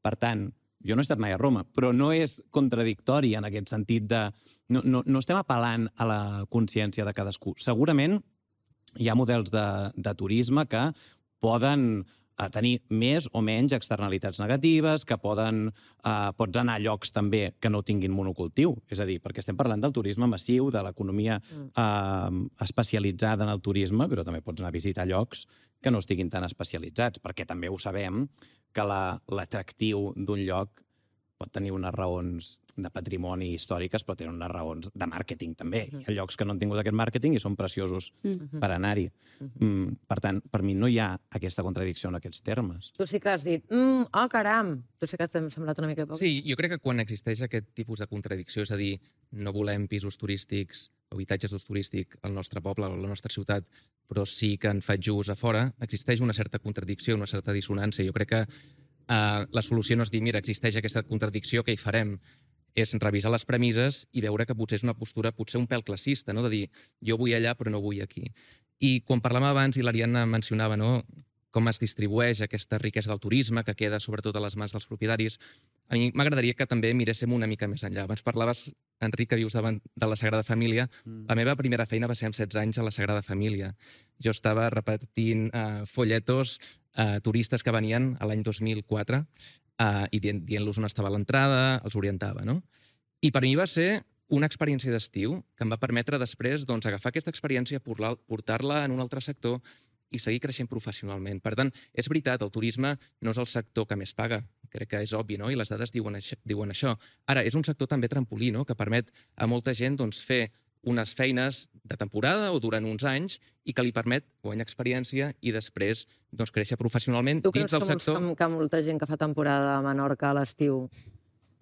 Per tant, jo no he estat mai a Roma, però no és contradictori en aquest sentit de... No estem apel·lant a la consciència de cadascú. Segurament hi ha models de turisme que poden tenir més o menys externalitats negatives, que pots anar a llocs també que no tinguin monocultiu. És a dir, perquè estem parlant del turisme massiu, de l'economia especialitzada en el turisme, però també pots anar a visitar llocs que no estiguin tan especialitzats, perquè també ho sabem que l'atractiu d'un lloc pot tenir unes raons de patrimoni històriques, però tenen unes raons de màrqueting també. Hi ha llocs que no han tingut aquest màrqueting i són preciosos per anar-hi. Per tant, per mi no hi ha aquesta contradicció en aquests termes. Tu sí que has dit, caram! Tu sí que t'hem semblat una mica poc. Sí, jo crec que quan existeix aquest tipus de contradicció, és a dir, no volem pisos turístics o habitatges d'ús turístic al nostre poble o a la nostra ciutat, però sí que en faig ús a fora, existeix una certa contradicció, una certa dissonància. Jo crec que la solució no és dir, mira, existeix aquesta contradicció, què hi farem? És revisar les premisses i veure que potser és una postura potser un pèl classista, no? De dir, jo vull allà però no vull aquí. I quan parlàvem abans, i l'Ariadna mencionava, no?, com es distribueix aquesta riquesa del turisme, que queda sobretot a les mans dels propietaris, a mi m'agradaria que també miréssim una mica més enllà. Abans parlaves, Enric, que dius davant de la Sagrada Família. La meva primera feina va ser amb 16 anys a la Sagrada Família. Jo estava repetint folletos turistes que venien a l'any 2004 i dient-los on estava l'entrada, els orientava, no? I per mi va ser una experiència d'estiu que em va permetre després agafar aquesta experiència, portar-la en un altre sector i seguir creixent professionalment. Per tant, és veritat, el turisme no és el sector que més paga, crec que és obvi, no? I les dades diuen això. Ara, és un sector també trampolí, no?, que permet a molta gent fer unes feines de temporada o durant uns anys i que li permet guanyar experiència i després créixer professionalment dins del sector. Tu creus que molta gent que fa temporada a Menorca a l'estiu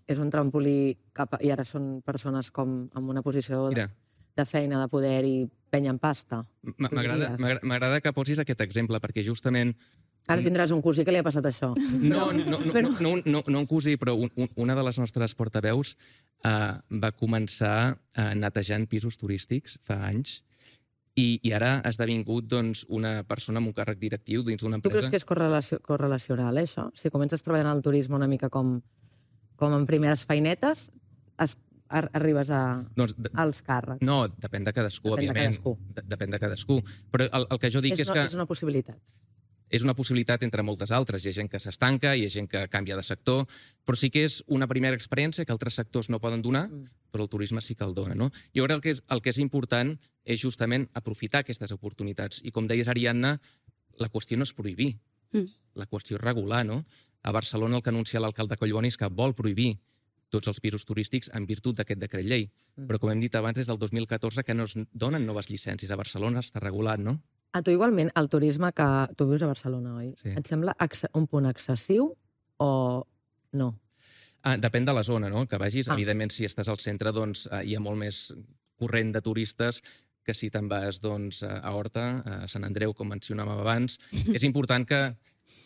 és un trampolí i ara són persones com en una posició de feina, de poder i penyen pasta? M'agrada que posis aquest exemple, perquè justament... Ara tindràs un cosí que li ha passat això. No un cosí, però una de les nostres portaveus va començar netejant pisos turístics fa anys i ara ha esdevingut una persona amb un càrrec directiu dins d'una empresa. Tu creus que és correlacional, això? Si comences treballant al turisme una mica com en primeres feinetes, arribes als càrrecs. No, depèn de cadascú, òbviament. Depèn de cadascú. Però el que jo dic és que... És una possibilitat. És una possibilitat entre moltes altres. Hi ha gent que s'estanca, hi ha gent que canvia de sector, però sí que és una primera experiència que altres sectors no poden donar, però el turisme sí que el dona, no? I ara el que és important és justament aprofitar aquestes oportunitats. I com deies, Ariadna, la qüestió no és prohibir, la qüestió és regular, no? A Barcelona el que anuncia l'alcalde Collboni és que vol prohibir tots els pisos turístics en virtut d'aquest decret llei. Però, com hem dit abans, des del 2014 que no es donen noves llicències. A Barcelona està regulat, no? A tu igualment, el turisme que... Tu vius a Barcelona, oi? Sí. Et sembla un punt excessiu o no? Depèn de la zona, no?, que vagis. Evidentment, si estàs al centre, doncs hi ha molt més corrent de turistes que si te'n vas doncs, a Horta, a Sant Andreu, com mencionàvem abans. És important que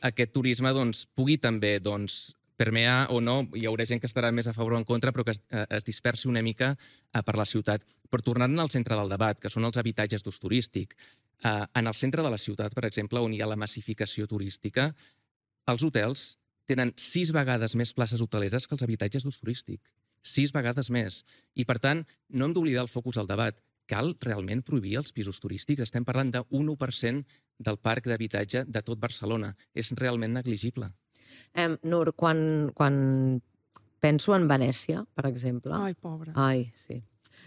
aquest turisme doncs, pugui també doncs, permear o no, hi haurà gent que estarà més a favor o en contra, però que es dispersi una mica per la ciutat. Per tornar-ne al centre del debat, que són els habitatges d'ús turístic, en el centre de la ciutat, per exemple, on hi ha la massificació turística, els hotels tenen 6 vegades més places hoteleres que els habitatges d'ús turístic. 6 vegades més. I, per tant, no hem d'oblidar el focus del debat. Cal realment prohibir els pisos turístics? Estem parlant d'un 1% del parc d'habitatge de tot Barcelona. És realment negligible. Nur, quan penso en Venècia, per exemple... Ai, pobra. Ai, sí.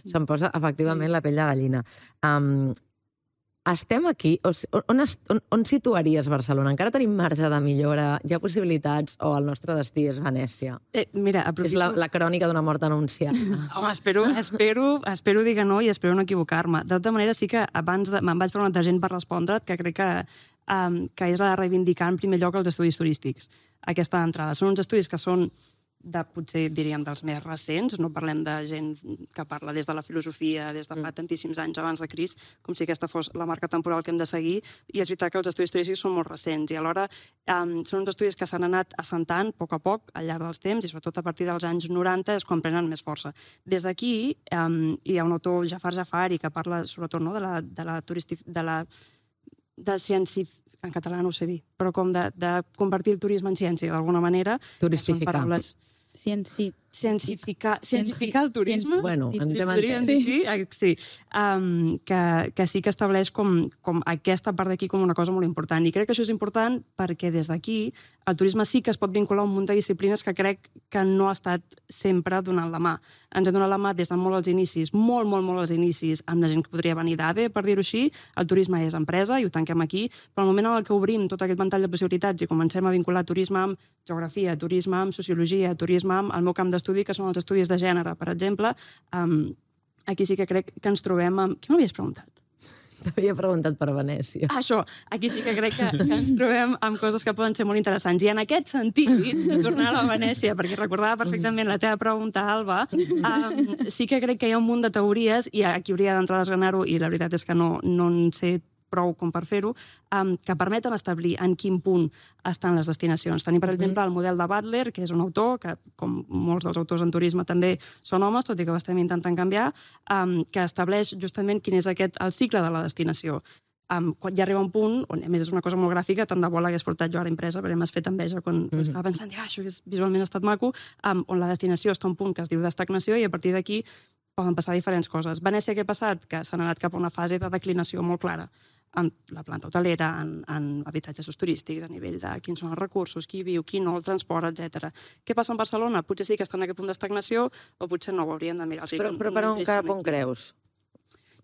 Se'm posa efectivament la pell de gallina. Estem aquí... On situaries Barcelona? Encara tenim marge de millora? Hi ha possibilitats? O el nostre destí és Venècia? Mira, aprofito... És la crònica d'una mort anunciada. Home, espero dir que no i espero no equivocar-me. De tota manera, sí que abans me'n vaig preguntar gent per respondre't, que crec que és de reivindicar en primer lloc els estudis turístics. Aquesta entrada. Són uns estudis que són potser diríem dels més recents, no parlem de gent que parla des de la filosofia, des de fa tantíssims anys abans de Crist, com si aquesta fos la marca temporal que hem de seguir, i és veritat que els estudis turístics són molt recents, i alhora són uns estudis que s'han anat assentant a poc al llarg dels temps, i sobretot a partir dels anys 90 és quan prenen més força. Des d'aquí hi ha un autor, Jafar Jafari, que parla sobretot de ciència, en català no ho sé dir, però com de convertir el turisme en ciència, d'alguna manera. Turistificar. Cientificar el turisme. Bueno, ens hem entès. Sí, que sí que estableix com aquesta part d'aquí com una cosa molt important. I crec que això és important perquè des d'aquí el turisme sí que es pot vincular a un munt de disciplines que crec que no ha estat sempre donant la mà. Ens ha donat la mà des de molt als inicis, molt als inicis, amb la gent que podria venir d'ADE, per dir-ho així. El turisme és empresa i ho tanquem aquí, però al moment en què obrim tot aquest ventall de possibilitats i comencem a vincular turisme amb geografia, turisme amb sociologia, turisme amb el meu camp d'estudi, que són els estudis de gènere, per exemple, aquí sí que crec que ens trobem amb... Què m'havies preguntat? T'havia preguntat per Venècia. Això, aquí sí que crec que ens trobem amb coses que poden ser molt interessants. I en aquest sentit, tornar a la Venècia, perquè recordava perfectament la teva pregunta, Alba, sí que crec que hi ha un munt de teories, i aquí hauria d'entrar a desgranar-ho, i la veritat és que no en sé prou com per fer-ho, que permeten establir en quin punt estan les destinacions. Tenim, per exemple, el model de Butler, que és un autor, que com molts dels autors en turisme també són homes, tot i que ho estem intentant canviar, que estableix justament quin és el cicle de la destinació. Quan ja arriba un punt, on a més és una cosa molt gràfica, tant de bo l'hagués portat jo ara impresa, perquè m'has fet enveja quan estava pensant, això visualment ha estat maco, on la destinació està a un punt que es diu d'estagnació i a partir d'aquí poden passar diferents coses. Venècia, què ha passat? Que s'han anat cap a una fase de declinació molt clara en la planta hotelera, en habitatges turístics, a nivell de quins són els recursos, qui viu, qui no, el transport, etc. Què passa en Barcelona? Potser sí que està en aquest punt d'estagnació o potser no, ho hauríem de mirar. Però per on creus?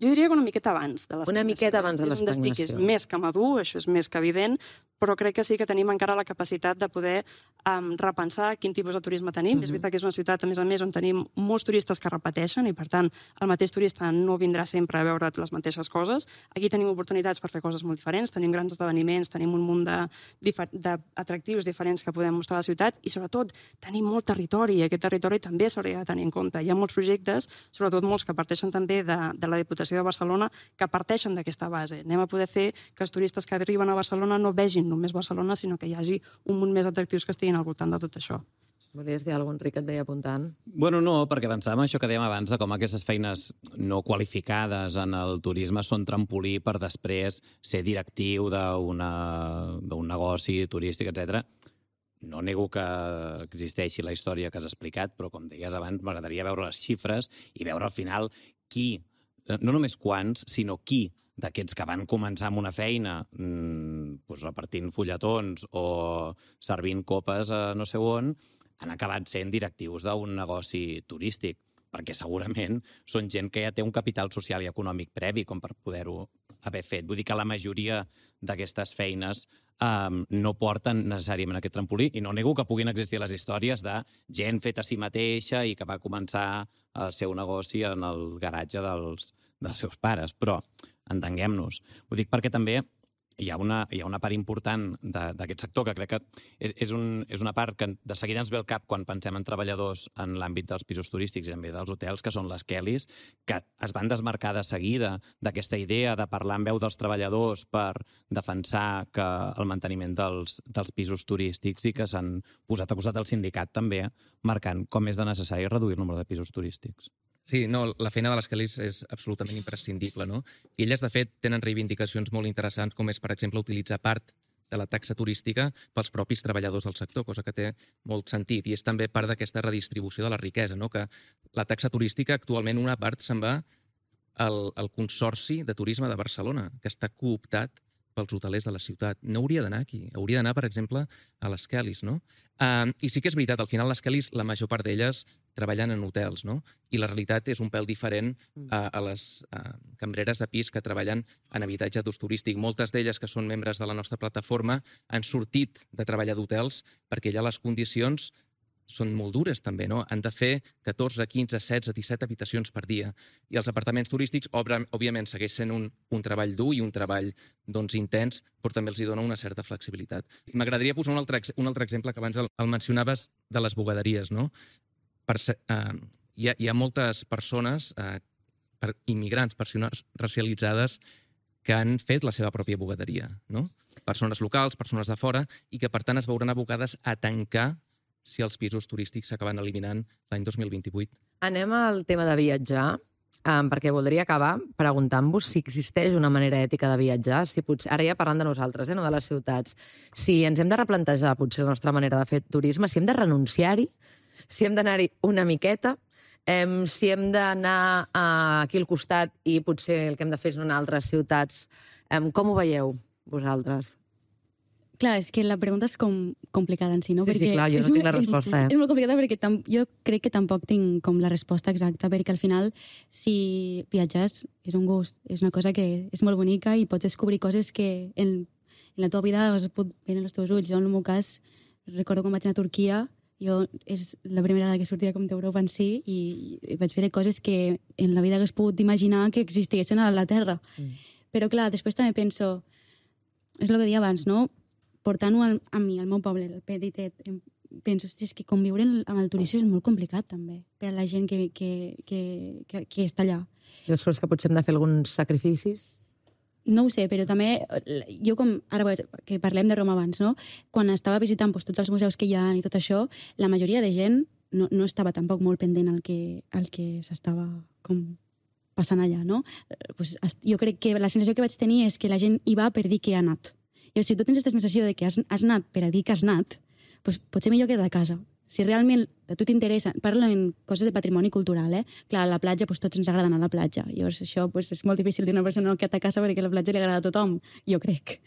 Jo diria que una miqueta abans de l'estagnació. Una miqueta abans de l'estagnació. És un destí que és més que madur, això és més que evident, però crec que sí que tenim encara la capacitat de poder repensar quin tipus de turisme tenim. És veritat que és una ciutat, a més, on tenim molts turistes que repeteixen i, per tant, el mateix turista no vindrà sempre a veure les mateixes coses. Aquí tenim oportunitats per fer coses molt diferents, tenim grans esdeveniments, tenim un munt d'atractius diferents que podem mostrar a la ciutat i, sobretot, tenim molt territori i aquest territori també s'hauria de tenir en compte. Hi ha molts projectes, sobretot molts que parteixen també de la Diputació de Barcelona, que parteixen d'aquesta base. Anem a poder fer que els turistes que arriben a Barcelona no vegin només Barcelona, sinó que hi hagi un munt més d'atractius que estiguin al voltant de tot això. Volies dir alguna cosa, Enric, et veia apuntant? Bueno, no, perquè pensàvem això que dèiem abans de com aquestes feines no qualificades en el turisme són trampolí per després ser directiu d'un negoci turístic, etc. No nego que existeixi la història que has explicat, però com deies abans, m'agradaria veure les xifres i veure al final qui, no només quants, sinó qui d'aquests que van començar amb una feina repartint fulletons o servint copes a no sé on, han acabat sent directius d'un negoci turístic, perquè segurament són gent que ja té un capital social i econòmic previ com per poder-ho haver fet. Vull dir que la majoria d'aquestes feines no porten necessàriament aquest trampolí, i no nego que puguin existir les històries de gent feta a si mateixa i que va començar el seu negoci en el garatge dels seus pares, però entenguem-nos. Ho dic perquè també hi ha una part important d'aquest sector que crec que és una part que de seguida ens ve al cap quan pensem en treballadors en l'àmbit dels pisos turístics i també dels hotels, que són les Kellys, que es van desmarcar de seguida d'aquesta idea de parlar en veu dels treballadors per defensar que el manteniment dels pisos turístics, i que s'han posat a costat del sindicat també, marcant com és de necessari reduir el nombre de pisos turístics. Sí, no, la feina de les Kellys és absolutament imprescindible, no? I elles, de fet, tenen reivindicacions molt interessants, com és, per exemple, utilitzar part de la taxa turística pels propis treballadors del sector, cosa que té molt sentit. I és també part d'aquesta redistribució de la riquesa, no? Que la taxa turística, actualment, una part se'n va al Consorci de Turisme de Barcelona, que està cooptat pels hotelers de la ciutat. No hauria d'anar aquí. Hauria d'anar, per exemple, a les Kellys, no? I sí que és veritat, al final les Kellys, la major part d'elles treballen en hotels, no? I la realitat és un pèl diferent a les cambreres de pis que treballen en habitatge d'ús turístic. Moltes d'elles, que són membres de la nostra plataforma, han sortit de treballar d'hotels perquè allà les condicions són molt dures també, no? Han de fer 14, 15, 16, 17 habitacions per dia. I els apartaments turístics, òbviament, segueix sent un treball dur i un treball intens, però també els hi dona una certa flexibilitat. M'agradaria posar un altre exemple, que abans el mencionaves, de les bugaderies, no? Hi ha moltes persones, immigrants, persones racialitzades, que han fet la seva pròpia bugaderia, no? Persones locals, persones de fora, i que, per tant, es veuran abocades a tancar si els pisos turístics s'acaben eliminant l'any 2028. Anem al tema de viatjar, perquè voldria acabar preguntant-vos si existeix una manera ètica de viatjar, si potser, ara ja parlant de nosaltres, no de les ciutats, si ens hem de replantejar potser la nostra manera de fer turisme, si hem de renunciar-hi, si hem d'anar-hi una miqueta, si hem d'anar aquí al costat i potser el que hem de fer és anar a altres ciutats. Com ho veieu, vosaltres? Clar, és que la pregunta és complicada en si, no? Sí, clar, jo no tinc la resposta. És molt complicada perquè jo crec que tampoc tinc com la resposta exacta, perquè al final, si viatges, és un gust, és una cosa que és molt bonica i pots descobrir coses que en la teva vida es pot veure en els teus ulls. Jo, en el meu cas, recordo quan vaig anar a Turquia, és la primera vegada que sortia com d'Europa en si, i vaig veure coses que en la vida hagués pogut imaginar que existissin a la Terra. Però, clar, després també penso, és el que deia abans, no? Portant-ho a mi, al meu poble, el Petitet, penso, és que conviure amb el turisme és molt complicat, també, per a la gent que està allà. Jo creus que potser hem de fer alguns sacrificis? No ho sé, però també, jo com, ara que parlem de Roma abans, no? Quan estava visitant tots els museus que hi ha i tot això, la majoria de gent no estava tampoc molt pendent al que s'estava com passant allà, no? Jo crec que la sensació que vaig tenir és que la gent hi va per dir que ha anat. I si tu tens aquesta sensació de que has anat per a dir que has anat, doncs potser millor quedar a casa. Si realment a tu t'interessa, parlo en coses de patrimoni cultural, Clar, a la platja, tots ens agrada anar a la platja. Llavors això és molt difícil d'una persona no quedar a casa perquè la platja li agrada a tothom, jo crec.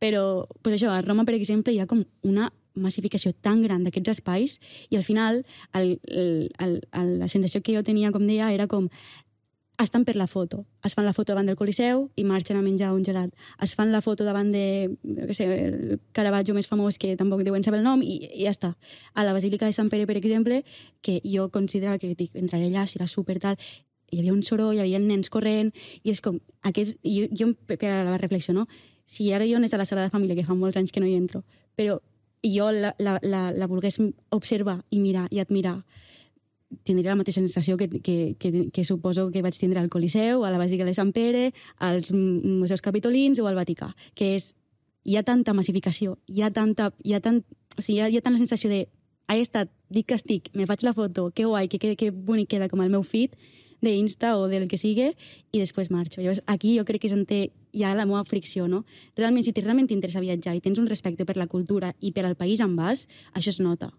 Però això, a Roma, per exemple, hi ha com una massificació tan gran d'aquests espais i al final la sensació que jo tenia, com deia, era com estan per la foto. Es fan la foto davant del Coliseu i marxen a menjar un gelat. Es fan la foto davant de, el Caravaggio més famós, que tampoc deuen saber el nom, i ja està. A la Basílica de Sant Pere, per exemple, que jo considerava que entraré allà, serà super tal, hi havia un soroll, hi havia nens corrent, i és com, jo per a la reflexió, no? Si ara jo anés a la Sagrada Família, que fa molts anys que no hi entro, però jo la volgués observar i mirar i admirar, tindria la mateixa sensació que suposo que vaig tindre al Coliseu, a la Basílica de Sant Pere, als museus capitolins o al Vaticà, que és, hi ha tanta massificació, hi ha tant la sensació de he estat, dic que estic, me faig la foto, que guai, que bonic queda com el meu feed d'Insta o del que sigui, i després marxo. Llavors, aquí jo crec que hi ha la meva fricció, no? Realment, si realment t'interessa viatjar i tens un respecte per la cultura i per al país on vas, això es nota.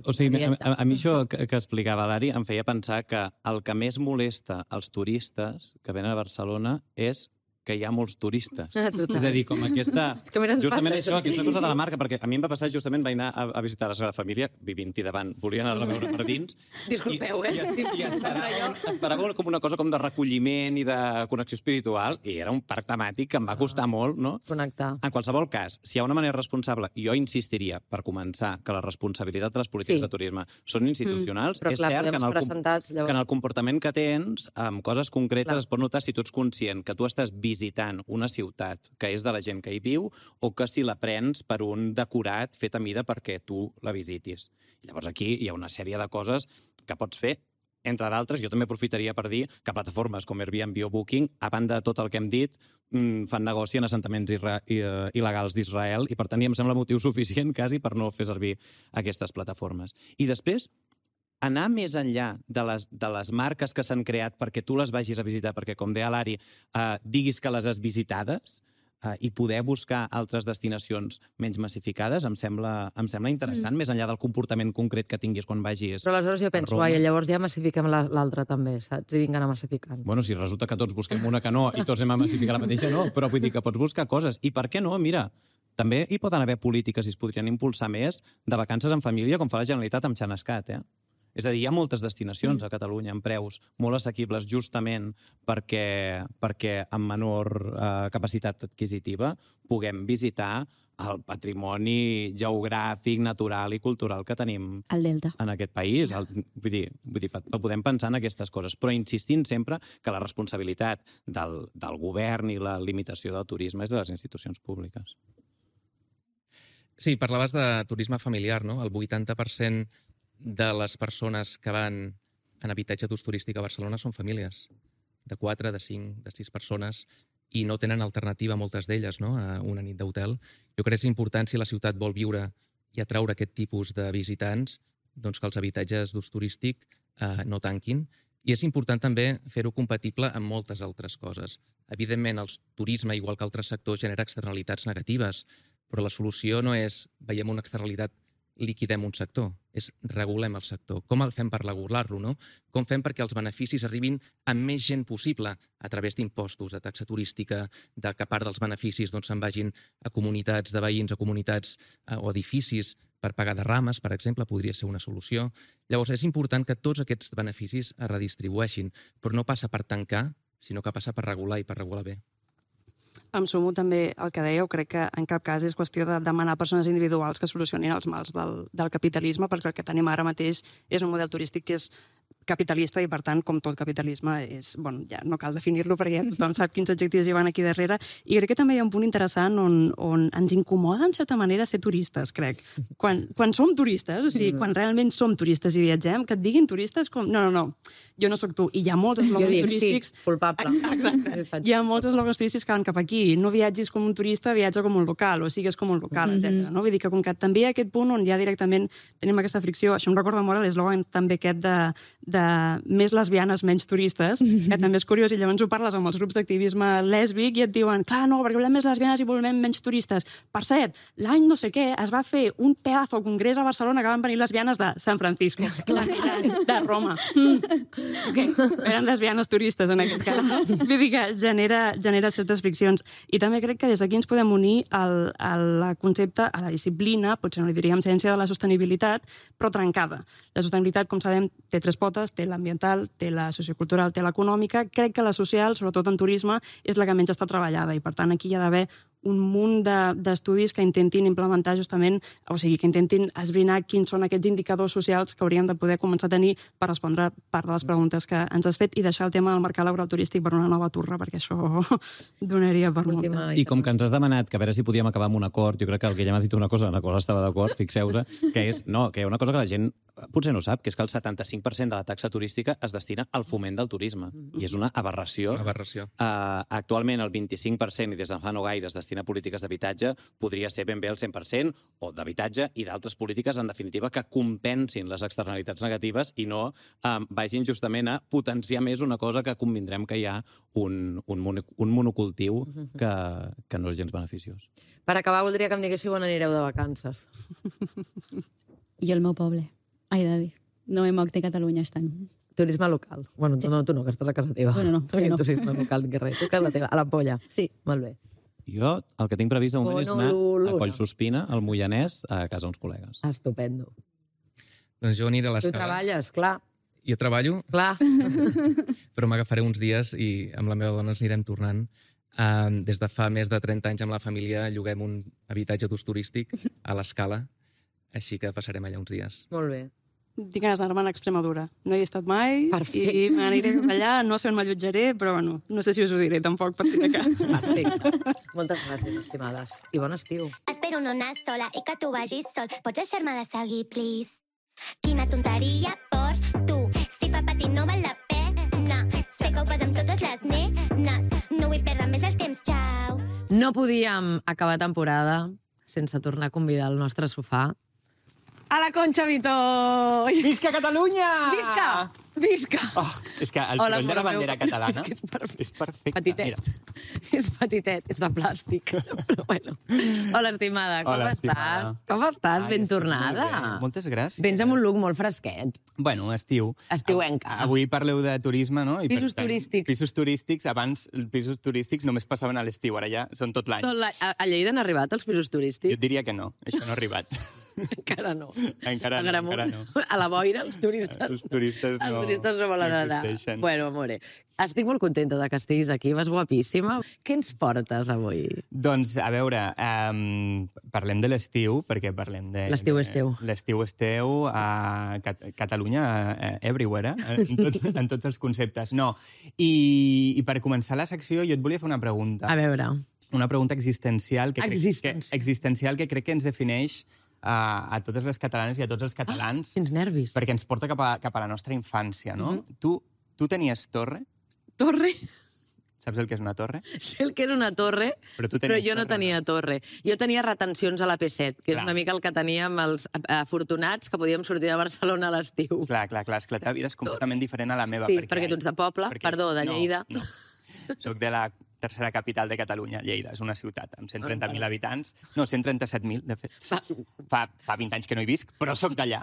O sigui, a mi això que explicava l'Ari em feia pensar que el que més molesta als turistes que venen a Barcelona és que hi ha molts turistes. Total. És a dir, com aquesta... que més ens justament passa, això, això. aquesta cosa de la marca, perquè a mi em va passar justament, vaig anar a visitar la Sagrada Família, vivint-hi davant, volia anar a veure per dins. Disculpeu, I esperava com una cosa com de recolliment i de connexió espiritual, i era un parc temàtic que em va costar molt, no? Connectar. En qualsevol cas, si hi ha una manera responsable, jo insistiria, per començar, que la responsabilitat de les polítiques de turisme són institucionals. Però És clar, cert que en el comportament que tens, amb coses concretes, es pot notar si tu ets conscient que tu estàs visitant una ciutat que és de la gent que hi viu o que si la prens per un decorat fet a mida perquè tu la visitis. Llavors aquí hi ha una sèrie de coses que pots fer. Entre d'altres, jo també aprofitaria per dir que plataformes com Airbnb o Booking, a banda de tot el que hem dit, fan negoci en assentaments il·legals d'Israel i, per tant, em sembla motiu suficient quasi per no fer servir aquestes plataformes. I després, anar més enllà de les marques que s'han creat perquè tu les vagis a visitar, perquè, com deia l'Ari, diguis que les has visitades i poder buscar altres destinacions menys massificades, em sembla interessant, més enllà del comportament concret que tinguis quan vagis. Però aleshores jo penso, llavors ja massifiquem l'altra també, saps? I vinc a anar massificant. Bueno, si resulta que tots busquem una que no i tots anem a massificar la mateixa, no, però vull dir que pots buscar coses. I per què no? Mira, també hi poden haver polítiques i es podrien impulsar més de vacances en família, com fa la Generalitat amb Xanascat, És a dir, hi ha moltes destinacions a Catalunya amb preus molt assequibles justament perquè amb menor capacitat adquisitiva puguem visitar el patrimoni geogràfic, natural i cultural que tenim al Delta en aquest país. Vull dir, podem pensar en aquestes coses, però insistint sempre que la responsabilitat del govern i la limitació del turisme és de les institucions públiques. Sí, parlaves de turisme familiar, no? El 80% de les persones que van en habitatge d'ús turístic a Barcelona són famílies de 4, de 5, de 6 persones i no tenen alternativa, moltes d'elles, no? A una nit d'hotel. Jo crec que és important, si la ciutat vol viure i atraure aquest tipus de visitants, doncs que els habitatges d'ús turístic no tanquin. I és important també fer-ho compatible amb moltes altres coses. Evidentment, el turisme, igual que altres sectors, genera externalitats negatives, però la solució no és veiem una externalitat, liquidem un sector, és regulem el sector. Com el fem per regular-lo, no? Com fem perquè els beneficis arribin a més gent possible a través d'impostos, de taxa turística, de que part dels beneficis se'n vagin a comunitats de veïns, a comunitats o edificis per pagar derrames, per exemple, podria ser una solució. Llavors, és important que tots aquests beneficis es redistribueixin, però no passa per tancar, sinó que passa per regular i per regular bé. Em sumo també al que dèieu, crec que en cap cas és qüestió de demanar a persones individuals que solucionin els mals del capitalisme, perquè el que tenim ara mateix és un model turístic que és capitalista i, per tant, com tot capitalisme, ja no cal definir-lo perquè ja tothom sap quins adjectius hi van aquí darrere. I crec que també hi ha un punt interessant on ens incomoda, en certa manera, ser turistes, crec. Quan som turistes, o sigui, quan realment som turistes i viatgem, que et diguin turistes com... No, jo no sóc tu. I hi ha molts eslògans turístics... Sí, culpable. Exacte. Hi ha molts eslògans turístics que van cap aquí. No viatgis com un turista, viatja com un local, o sigues com un local, etc. Vull dir que com que també hi ha aquest punt on ja directament tenim aquesta fricció, això em recorda molt l'eslògan també aquest de més lesbianes, menys turistes, que també és curiós, i llavors ho parles amb els grups d'activisme lèsbic i et diuen, clar, no, perquè volem més lesbianes i volem menys turistes. Per cert, l'any no sé què es va fer un pedazo congrés a Barcelona que van venir lesbianes de San Francisco, de Roma. Eren lesbianes turistes, en aquest cas. Vull dir que genera certes friccions. I també crec que des d'aquí ens podem unir al concepte, a la disciplina, potser no li diríem ciència de la sostenibilitat, però trencada. La sostenibilitat, com sabem, té 3 potes, té l'ambiental, té la sociocultural, té l'econòmica. Crec que la social, sobretot en turisme, és la que menys està treballada i, per tant, aquí hi ha d'haver un munt d'estudis que intentin implementar justament, o sigui, que intentin esbrinar quins són aquests indicadors socials que hauríem de poder començar a tenir per respondre part de les preguntes que ens has fet i deixar el tema del mercat laboral turístic per una nova turra, perquè això donaria per moltes. I com que ens has demanat que a veure si podíem acabar amb un acord, jo crec que el Guillem ha dit una cosa en la qual estava d'acord, fixeu-vos, que és, no, que hi ha una cosa que la gent potser no sap, que és que el 75% de la taxa turística es destina al foment del turisme. I és una aberració. Actualment el 25%, i des de fa no gaire, es destina a polítiques d'habitatge, podria ser ben bé el 100%, o d'habitatge i d'altres polítiques, en definitiva, que compensin les externalitats negatives i no vagin justament a potenciar més una cosa que convindrem que hi ha un monocultiu que no és gens beneficiós. Per acabar, voldria que em diguéssiu on anireu de vacances. Jo al meu poble. Ai, de dir. No he moc de Catalunya aquest any. Turisme local. Bueno, no, tu no, que estàs a casa teva. Bueno, no, no. Turisme local, que res. Tu a casa teva, a l'Ampolla. Sí. Molt bé. Jo el que tinc previst de moment és anar a Honolulu. Collsospina, al Moianès, a casa uns col·legues. Estupendo. Doncs jo aniré a Tu l'escala. treballes, clar. Jo treballo, Clar. però m'agafaré uns dies i amb la meva dona ens anirem tornant. Des de fa més de 30 anys amb la família lloguem un habitatge d'ús turístic a l'Escala, així que passarem allà uns dies. Molt bé. Tinc ganes d'anar-me'n a Extremadura. No hi he estat mai Perfecte. i m'aniré cap allà. No sé on m'allotjaré, però bueno, no sé si us ho diré tampoc, per si de cas. Perfecte. Moltes gràcies, estimades. I bon estiu. Espero no anar sola i que tu vagis sol. Pots deixar-me de seguir, please? Quina tonteria per tu. Si fa patir no val la pena. Sé que ho fas amb totes les nenes. No vull perdre més el temps, xau. No podíem acabar temporada sense tornar a convidar al nostre sofà a la Concha Vitó! Visca Catalunya! Visca! Visca! Oh, és que el Hola, soroll de la amor meu. bandera catalana És que és perfecte. és perfecte. Petitet. És petitet, és de plàstic. Però bueno. Hola, estimada, com Hola, estàs? estimada. Com estàs? Ai, Ben estic tornada. molt bé. Moltes gràcies. Vens amb un look molt fresquet. Bueno, estiu. Estiuenca. Avui parleu de turisme, no? I Pisos per tant, turístics. Pisos turístics. Abans, els pisos turístics només passaven a l'estiu, ara ja són tot l'any. A Lleida han arribat els pisos Jo turístics? et diria que no, això no ha arribat. Encara no. Encara A no, Gramunt, encara no. A la boira, els turistes... Els turistes no, Els turistes no volen anar. existeixen. Bueno, amore, estic molt contenta de que estiguis aquí, vas guapíssima. Què ens portes avui? Doncs, a veure, parlem de l'estiu, perquè parlem de... L'estiu és teu. L'estiu és teu, a Catalunya, everywhere, en tots els conceptes. No, i per començar la secció jo et volia fer una pregunta. A veure, Una pregunta existencial que, Existencial. que crec que ens defineix a totes les catalanes i a tots els catalans, quins nervis. perquè ens porta cap a la nostra infància, no? Tu tenies torre? Torre? Saps el que és una torre? Sé el que és una torre, Però tu però tenies jo no torre, tenia torre. Jo tenia retencions a la P7, que és Clar. una mica el que teníem els afortunats que podíem sortir de Barcelona a l'estiu. Clar, és que la teva vida és completament diferent a la meva. Sí, perquè tu ets de poble, perdó, de Lleida. No. Soc de la tercera capital de Catalunya, Lleida. És una ciutat amb 130.000 habitants. No, 137.000, de fet. Fa 20 anys que no hi visc, però sóc d'allà.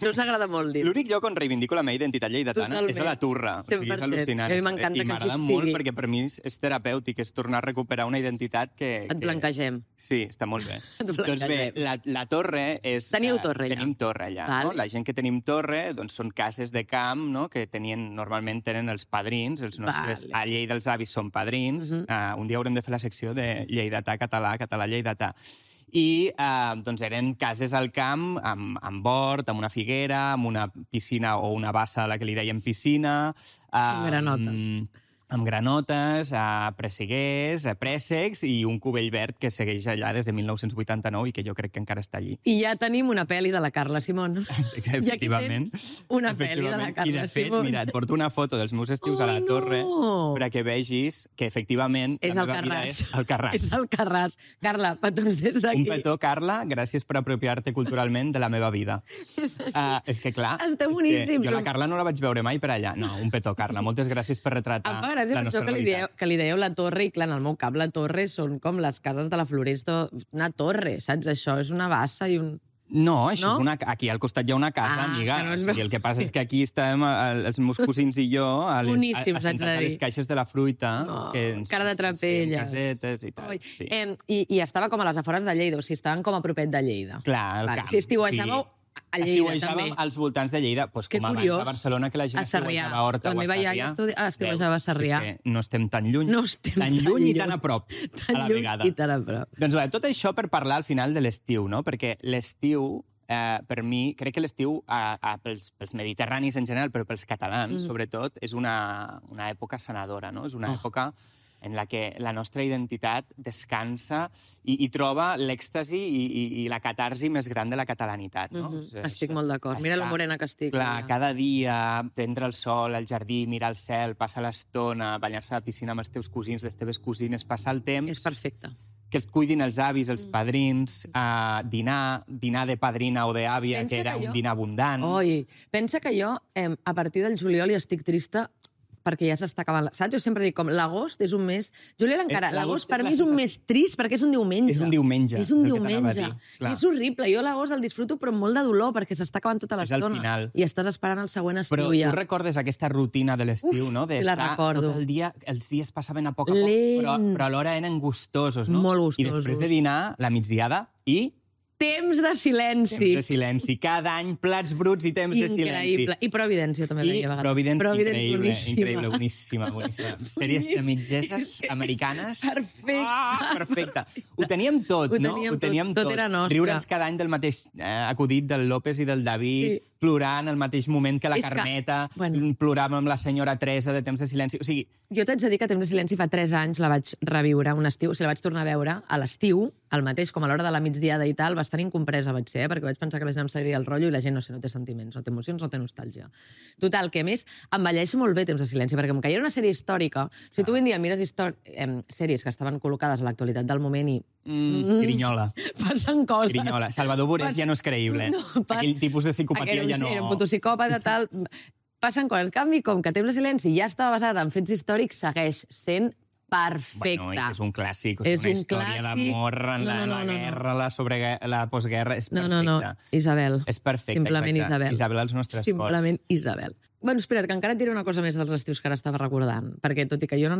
No us agrada molt dir. L'únic lloc on reivindico la meva identitat lleidatana Totalment. és a la Turra. O sigui, és 100%. al·lucinant. A mi m'encanta I que m'agrada així molt sigui. perquè per mi és terapèutic, és tornar a recuperar una identitat que... Et blanquegem. Sí, està molt bé. Et Doncs bé, blanquegem. la torre és... Teníeu torre allà? Tenim torre allà. Val. No? La gent que tenim torre doncs, són cases de camp, no? Que normalment tenen els padrins, els nostres... Vale. A Lleida els avis són padrins. Un dia haurem de fer la secció de lleidatà català, català lleidatà. I doncs eren cases al camp amb hort, amb una figuera, amb una piscina o una bassa a la que li deien piscina. Amb granotes. Amb granotes, presseguers, préssecs i un cubell verd que segueix allà des de 1989 i que jo crec que encara està allí. I ja tenim una pel·li de la Carla Simón. Efectivament. I aquí tens una pel·li de la Carla I de fet, Simón. mira, et porto una foto dels meus estius a la Ai, torre no! perquè vegis que efectivament És la el meva vida Carràs. és el Carràs. És el Carràs. Carla, petons des d'aquí. Un petó, Carla, gràcies per apropiar-te culturalment de la meva vida. És que, clar, Esteu és boníssims. que jo la Carla no la vaig veure mai per allà. No, un petó, Carla. Moltes gràcies per retratar Em fa gràcia la per això nostra que realitat. li dèieu la torre, i clar, en el meu cap la torre són com les cases de la Floresta, una torre, saps? Això és una bassa i un... No, això No? és aquí al costat hi ha una casa, amiga. que no és O sigui, el que passa és que aquí estàvem, els meus cosins i jo, Boníssims, haig de assentats a les dir. caixes de la fruita. No, que cara de trapelles. Casetes i tal. Oi. Sí. I estava com a les afores de Lleida, o sigui, estaven com a propet de Lleida. Clar, al Vale. camp. Si estiuejàveu a Lleida, Estiuejàvem també. als voltants de Lleida, doncs Que com abans curiós. a Barcelona, que la gent A Sarrià. estiuejava a Horta La o a meva iaia Sarrià. estiuejava a Sarrià. És que no estem tan lluny. No estem tan lluny i tan a prop, Tan a la lluny vegada. i tan a prop. Doncs bé, tot això per parlar al final de l'estiu, no? Perquè l'estiu, per mi, crec que l'estiu, pels mediterranis en general, però pels catalans, sobretot, és una època sanadora, no? És una època en la que la nostra identitat descansa i troba l'èxtasi i la catarsi més gran de la catalanitat. No? Estic molt d'acord. Mira la morena que estic. Clar, mira. cada dia prendre el sol al jardí, mirar el cel, passar l'estona, banyar-se a la piscina amb els teus cosins, les teves cosines, passar el temps... És perfecte. Que els cuidin els avis, els padrins, dinar de padrina o d'àvia, Pensa que era que jo- un dinar abundant. Oi, pensa que jo, a partir del juliol, hi estic trista perquè ja s'està acabant. Saps? Jo sempre dic com l'agost és un mes... Julià encara, l'agost per mi és un mes trist perquè és un diumenge. És un diumenge. És un diumenge. I és horrible. Jo l'agost el disfruto però amb molt de dolor perquè s'està acabant tota l'estona. És al final. I estàs esperant el següent estiu però ja. Però tu recordes aquesta rutina de l'estiu, no? La recordo. Tot el dia, els dies passaven a poc a poc, però alhora eren gustosos, no? Molt gustosos. I després de dinar, la migdiada i... Temps de silenci. Temps de silenci. Cada any, plats bruts i temps de silenci. Increïble. I Providència també veia a vegades. Providence, increïble, boníssima. Sèries de mitgeses americanes. Perfecte. Ho teníem tot, no? Ho teníem tot. Tot era nostre. Riure'ns cada any del mateix acudit del López i del David, plorant al mateix moment que la Carmeta, ploràvem amb la senyora Teresa de Temps de silenci. O sigui... Jo t'haig de dir que Temps de silenci fa 3 anys la vaig reviure un estiu, o sigui, la vaig tornar a veure a l'estiu, al mateix, com a l'hora de la migdiada i tal, bastant incompresa vaig ser, perquè vaig pensar que la gent em seguiria el rotllo i la gent, no té sentiments, no té emocions, no té nostàlgia. Total, que a més envelleix molt bé Temps de silenci, perquè com que hi era una sèrie històrica, si tu avui en dia mires sèries que estaven col·locades a l'actualitat del moment i... Grinyola. Passen coses. Grinyola. Salvador Borés ja no és creïble. Aquell tipus de psicopatia ja no... Era un puto psicòpata, tal... Passen coses. En canvi, com que Temps de silenci ja estava basat en fets històrics, segueix sent perfecte. Bueno, és un clàssic, és una història d'amor en la guerra, la postguerra, és perfecte. No, Isabel. És perfecte, simplement exacte. Isabel als nostres cors. Simplement Isabel. Bueno, espera't, que encara et diré una cosa més dels estius que ara estava recordant, perquè tot i que jo no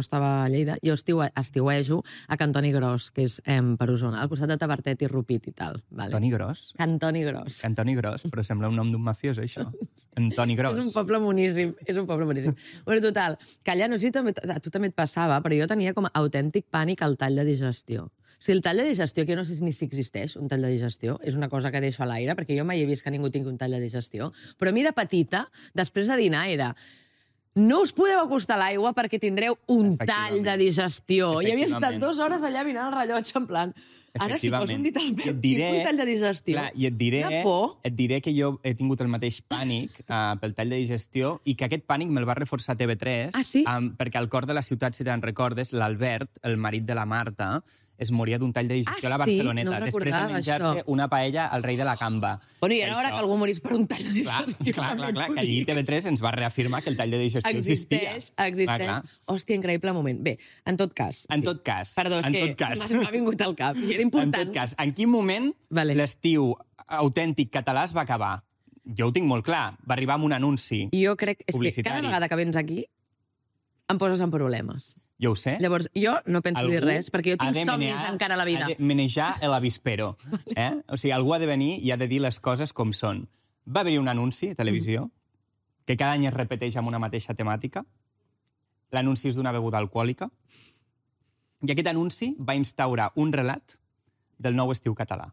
estava a Lleida, jo estiuejo a Cantoni Gros, que és per Osona, al costat de Tavertet i Rupit i tal. Vale. Cantoni Gros? Cantoni Gros. Cantoni Gros, però sembla un nom d'un mafiós, això. Antoni Gros. És un poble boníssim, Bueno, total, que allà, no sé si a tu també et passava, però jo tenia com a autèntic pànic al tall de digestió. O sigui, el tall de digestió, que jo no sé ni si existeix un tall de digestió, és una cosa que deixo a l'aire, perquè jo mai he vist que ningú tingui un tall de digestió, però a mi de petita, després de dinar, era... No us podeu acostar a l'aigua perquè tindreu un tall de digestió. I havia estat 2 hores allà mirant el rellotge, en plan... Ara si poso un dit al meu, tinc un tall de digestió. Clar, i et diré que jo he tingut el mateix pànic pel tall de digestió i que aquest pànic me'l va reforçar TV3 perquè al cor de la ciutat, si te'n recordes, l'Albert, el marit de la Marta, es moria d'un tall de digestió a la Barceloneta, després de menjar-se una paella al rei de la Camba. Bueno, i era hora que algú morís per un tall de digestió. Clar, que allí TV3 ens va reafirmar que el tall de digestió existia. Existeix. Hòstia, increïble moment. Bé, en tot cas. Perdó, és que m'ha vingut al cap i era important. En tot cas, en quin moment l'estiu autèntic català es va acabar? Jo ho tinc molt clar. Va arribar amb un anunci publicitari. Jo crec que cada vegada que vens aquí em poses en problemes. Jo ho sé. Llavors, jo no penso dir res, perquè jo tinc somnis encara a la vida. Ha de manejar l'avispero. O sigui, algú ha de venir i ha de dir les coses com són. Va haver-hi un anunci a televisió que cada any es repeteix amb una mateixa temàtica. L'anunci és d'una beguda alcohòlica. I aquest anunci va instaurar un relat del nou estiu català.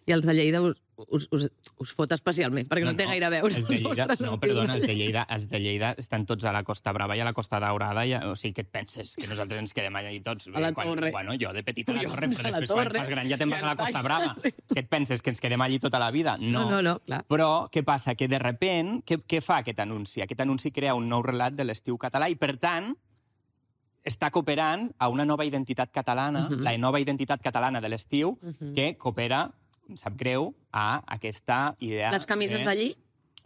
I els de Lleida us fot especialment, perquè no té gaire a veure. Els de Lleida estan tots a la Costa Brava i a la Costa Daurada. O sigui, què et penses? Que nosaltres ens quedem allà i tots? A la Torre. Bueno, jo de petit a la Torre, però després quan fas gran ja te'n vas a la Costa Brava. Què et penses? Que ens quedem allí tota la vida? No, clar. Però què passa? Que de repent, què fa aquest anunci? Aquest anunci crea un nou relat de l'estiu català i, per tant, està cooperant a una nova identitat catalana, la nova identitat catalana de l'estiu, que coopera, em sap greu, a aquesta idea... Les camises d'allí?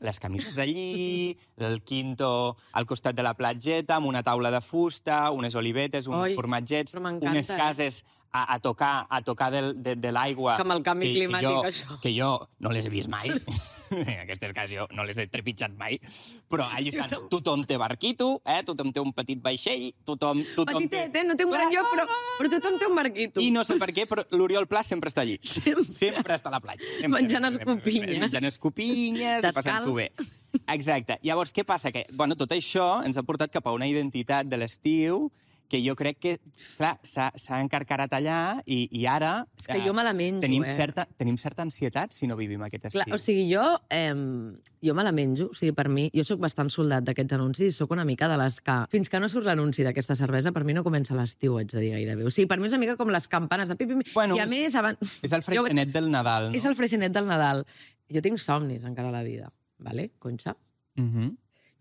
Les camises d'allí, el quinto al costat de la platgeta, amb una taula de fusta, unes olivetes, uns formatgets, unes cases a tocar de l'aigua... Com el canvi climàtic, això. Que jo no les he vist mai. Aquestes cases jo no les he trepitjat mai. Però allà estan. Tothom té barquito, tothom té un petit vaixell, tothom Petitet, no té un gran lloc, però tothom té un barquito. I no sé per què, però l'Oriol Pla sempre està allí. Sempre està a la platja. Menjant escopinyes. Menjant escopinyes i passant-s'ho bé. Exacte. Llavors, què passa? Que tot això ens ha portat cap a una identitat de l'estiu que jo crec que, clar, s'ha encarcarat allà i ara... És que jo me la menjo, Tenim certa ansietat si no vivim aquest estiu. Clar, o sigui, jo me la menjo. O sigui, per mi, jo sóc bastant soldat d'aquests anuncis, sóc una mica de les que... Fins que no surt l'anunci d'aquesta cervesa, per mi no comença l'estiu, haig de dir gairebé. O sigui, per mi és una mica com les campanes de pim-pim. Bueno, i a més... És el freixenet del Nadal, no? És el freixenet del Nadal. Jo tinc somnis encara a la vida, vale, Conxa?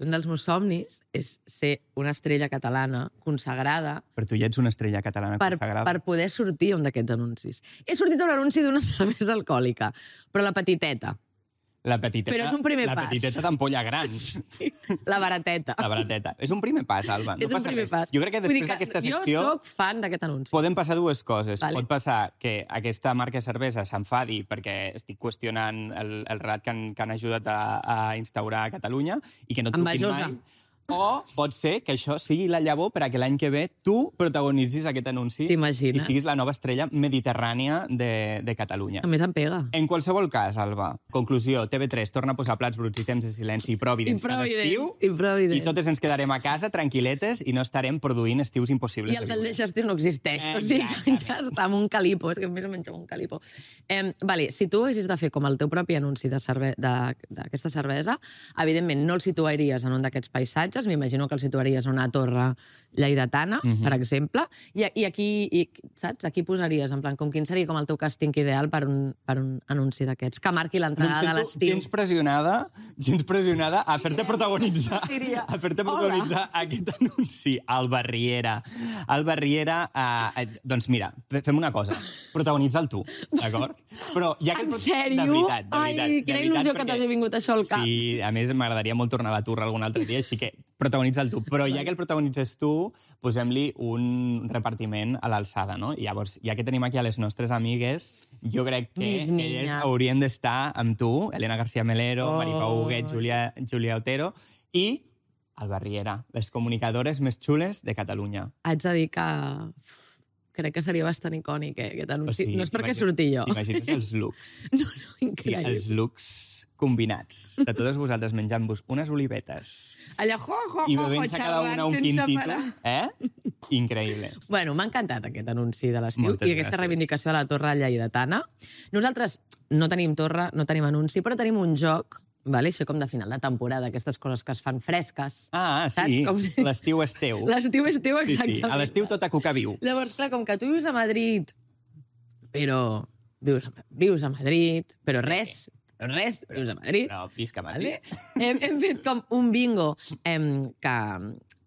Un dels meus somnis és ser una estrella catalana consagrada... Però tu ja ets una estrella catalana consagrada. Per poder sortir un d'aquests anuncis. He sortit a un anunci d'una cervesa alcohòlica, però la petiteta. La petiteta, Però és un primer la pas. petiteta d'ampolla gran. La barateta. La barateta. És un primer pas, Alba. No És un passa primer res. pas. Jo crec que Vull dir després d'aquesta secció... Jo sóc fan d'aquest anunci. Poden passar dues coses. Vale. Pot passar que aquesta marca de cervesa s'enfadi perquè estic qüestionant el relat que han ajudat a instaurar a Catalunya i que no et truquin Envejosa. mai. O pot ser que això sigui la llavor per a que l'any que ve tu protagonitzis aquest anunci T'imagines? i siguis la nova estrella mediterrània de Catalunya. A més em pega. En qualsevol cas, Alba, conclusió, TV3 torna a posar plats bruts i temps de silenci i Providence a l'estiu i totes ens quedarem a casa tranquil·letes i no estarem produint estius impossibles. I el del estiu no existeix. O sigui, ja està amb un calipo. És que més o menys amb un calipo. Vale, si tu haguessis de fer com el teu propi anunci d'aquesta cervesa, evidentment no el situaries en un d'aquests paisatges, m'imagino que el situaries en una torre lleidatana, per exemple, i aquí, saps? Aquí posaries, en plan, com quin seria com el teu càsting ideal per un anunci d'aquests, que marqui l'entrada de l'estiu. Gens pressionada a fer-te protagonitzar, aquest anunci. Alba Riera. Doncs mira, fem una cosa, protagonitza'l tu, d'acord? Però ja que En sèrio? De veritat. Ai, quina il·lusió que t'hagi vingut això al cap. Sí, a més m'agradaria molt tornar a la turra algun altre dia, així que protagonitza'l tu. Però ja que el protagonitzes tu, posem-li un repartiment a l'alçada, no? I llavors, ja que tenim aquí a les nostres amigues, jo crec que elles haurien d'estar amb tu, Elena García Melero, Maripau Huguet, Júlia Otero, i Alba Riera, les comunicadores més xules de Catalunya. Haig de dir que crec que seria bastant icònic, aquest anunci. No és perquè surti jo. Imagines els looks. No, increïble. Els looks combinats, de totes vosaltres menjant-vos unes olivetes allà, i bevent-se cada una un quintito. Increïble. Bueno, m'ha encantat aquest anunci de l'estiu Moltes i aquesta gràcies. reivindicació de la torre lleidatana. Nosaltres no tenim torre, no tenim anunci, però tenim un joc, vale? Això com de final de temporada, aquestes coses que es fan fresques. Sí, l'estiu és teu. L'estiu és teu, exactament. Sí, a l'estiu tot a cuca viu. Llavors, clar, com que tu vius a Madrid, però vius a Madrid, però res, vius a Madrid. Però visca Madrid. Vale? Hem fet com un bingo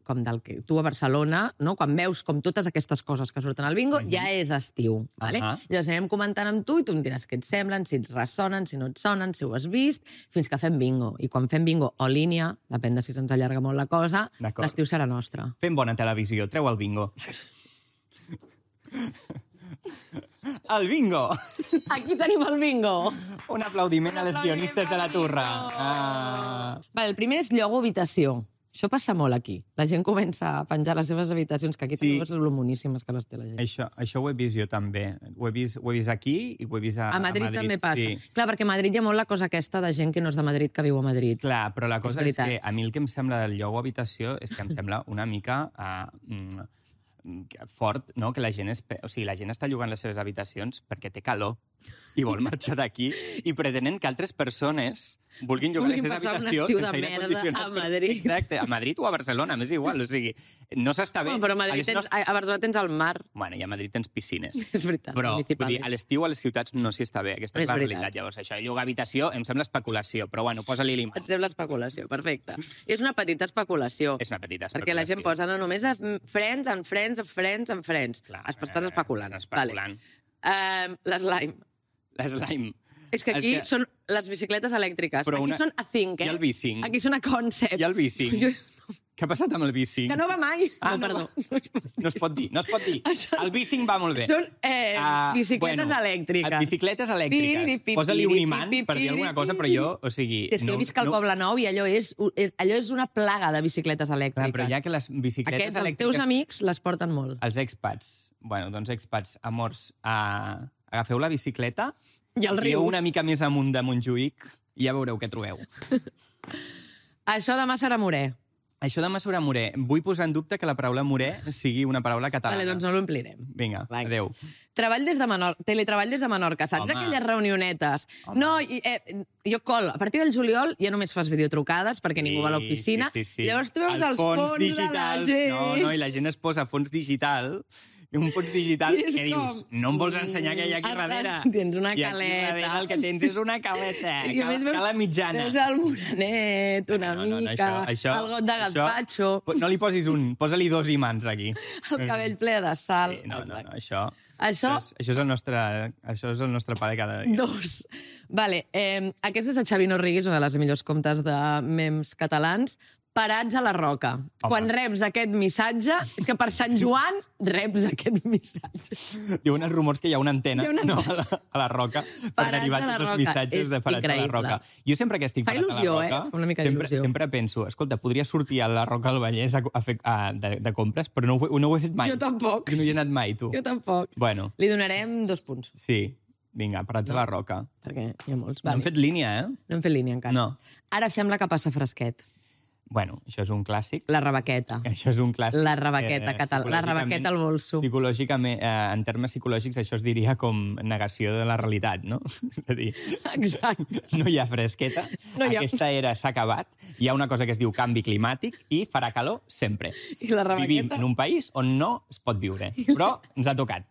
com del que tu a Barcelona, no? Quan veus com totes aquestes coses que surten al bingo, ja és estiu. Vale? Llavors anem comentant amb tu i tu em diràs què et semblen, si et ressonen, si no et sonen, si ho has vist, fins que fem bingo. I quan fem bingo o línia, depèn de si se'ns allarga molt la cosa, l'estiu serà nostre. Fem bona televisió, treu el bingo. El bingo! Aquí tenim el bingo! Un aplaudiment a les guionistes de la turra. Vale, el primer és llogo habitació. Això passa molt aquí. La gent comença a penjar les seves habitacions, que aquí també són moníssimes que les té la gent. Això ho he vist jo també. Ho he vist aquí i ho he vist a Madrid. També passa. Sí. Clar, perquè a Madrid hi ha molt la cosa aquesta de gent que no és de Madrid, que viu a Madrid. Clar, però la cosa és que a mi el que em sembla del llogo habitació és que em sembla una mica fort, no? Que la gent la gent està llogant les seves habitacions perquè té calor i vol marxar d'aquí i pretenen que altres persones vulguin llogar les seves habitacions sense aire condicionat. A Madrid. Exacte, a Madrid o a Barcelona, m'és igual, o sigui, no s'està bé. Però a Barcelona tens el mar. Bueno, i a Madrid tens piscines. És veritat. Però vull dir, a l'estiu a les ciutats no s'hi està bé, aquesta és la realitat. Llavors, això de llogar habitació em sembla especulació, però bueno, posa-li l'imant. Et sembla especulació, perfecte. És una petita especulació. És una petita especulació. Perquè la gent posa no només friends, en friends. Clar, estàs especulant. Especulant. L'slime. L'slime. És que aquí són les bicicletes elèctriques. Aquí són a think, I el bicing. Aquí són a concept. I el bicing. Què ha passat amb el bicing? Que no va mai. Perdó. No es pot dir. El bicing va molt bé. Són bicicletes elèctriques. Bicicletes elèctriques. Posa-li un imant per dir alguna cosa, però jo, o sigui... És que jo visc al Poble Nou i allò és una plaga de bicicletes elèctriques. Clar, però ja que les bicicletes elèctriques... Els teus amics les porten molt. Els expats. Bueno, doncs expats, amors, agafeu la bicicleta i el riu. Una mica més amunt de Montjuïc i ja veureu què trobeu. Això demà serà Morè. Això demà serà Morè. Vull posar en dubte que la paraula Morè sigui una paraula catalana. Vale, doncs no l'omplirem. Vinga, adéu. Teletreball des de Menorca. Saps aquelles reunionetes? No, jo a partir del juliol ja només fas videotrucades perquè ningú va a l'oficina. Sí. Llavors tu veus els fons digitals. De la gent. No, i la gent es posa fons digital. Un fons digital que dius, no em vols ensenyar què hi ha aquí darrere? Tens una caleta. I aquí darrere el que tens és una caleta. Cala mitjana. Veus el morenet, una mica, el got de gazpacho. No li posis un, posa-li 2 imants aquí. El cabell ple de sal. No, això... Això... Això és el nostre pa de cada dia. 2. Vale, aquest és de Xavi Norrigues, una de les millors comptes de memes catalans. Parats a la roca. Home. Quan reps aquest missatge, que per Sant Joan reps aquest missatge. Diuen els rumors que hi ha una antena, a la roca per derivar tots els missatges de Parats a la roca. Jo sempre que estic parat a la roca, Fa una mica d'il·lusió. sempre penso, escolta, podria sortir a la Roca del Vallès de compres, però no ho he fet mai. Jo tampoc. No hi he anat mai, tu. Jo tampoc. Bueno, Li donarem 2 punts, sí. Vinga, Parats a la roca. perquè hi ha molts. No hem fet línia, eh? No hem fet línia encara. No. Ara sembla que passa fresquet. Bueno, això és un clàssic. La rebequeta. Això és un clàssic. La rebequeta catalana. La rebequeta al bolso. Psicològicament, en termes psicològics, això es diria com negació de la realitat, no? És a dir, Exacte. no hi ha fresqueta, aquesta era s'ha acabat, hi ha una cosa que es diu canvi climàtic i farà calor sempre. I la rebequeta? Vivim en un país on no es pot viure, però ens ha tocat.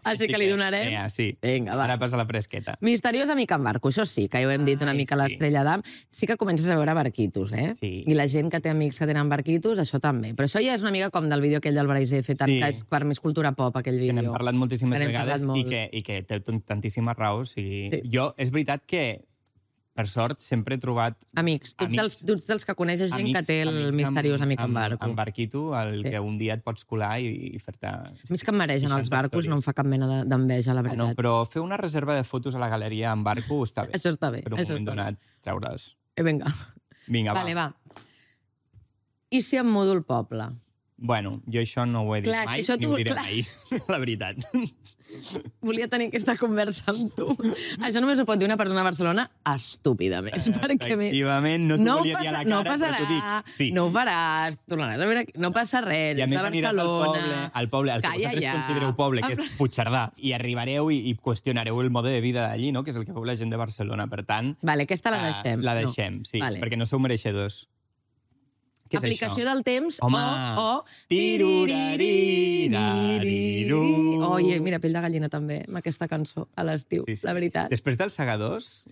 Així que li donarem? Sí. Vinga, va. Ara passa la fresqueta. Misteriós amic en barco, això sí, que ja ho hem dit una mica a l'Estrella d'Am. Sí que comences a veure barquitos, eh? Sí. I la gent que té amics que tenen barquitos, això també. Però això ja és una mica com del vídeo aquell del Brais F, que és per més cultura pop, aquell Que vídeo. n'hem parlat moltíssimes Que n'hem vegades parlat molt. i que té tantíssima raó. O sigui, Sí. Jo, és veritat que, per sort, sempre he trobat Amics, tu ets dels que coneixes gent que té el misteriós amic en barco. En barquito, que un dia et pots colar i fer-te... A mi és que em maregen els 60 barcos, stories. no em fa cap mena d'enveja, la No, veritat. però fer una reserva de fotos a la galeria en barco està bé. Això està bé. Per un això moment està bé. donat, treure'ls. Vinga. Vinga, Vale, va. I si em mudo al poble? Bueno, jo això no ho he dit Clar, mai, això ni tu- ho diré clar. mai, la veritat. Volia tenir aquesta conversa amb tu. Això només ho pot dir una persona a Barcelona estúpida més. Perquè Efectivament, no t'ho volia dir a la cara, no però passarà, t'ho dic. Sí. no ho faràs, tornaràs a veure, no passa res, I a més de aniràs Barcelona. al poble, al que Calla vosaltres ja. considereu poble, que és Puigcerdà, i arribareu i qüestionareu el mode de vida d'allí, no? Que és el que feu la gent de Barcelona. Per tant, Vale, aquesta la deixem. la deixem, No. sí, Vale. perquè no sou mereixedors. Què és Aplicació això? del temps Home! o... Tiruraririru. Oi, mira, pell de gallina també, amb aquesta cançó, a l'estiu, Sí, sí. la veritat. Després dels segadors,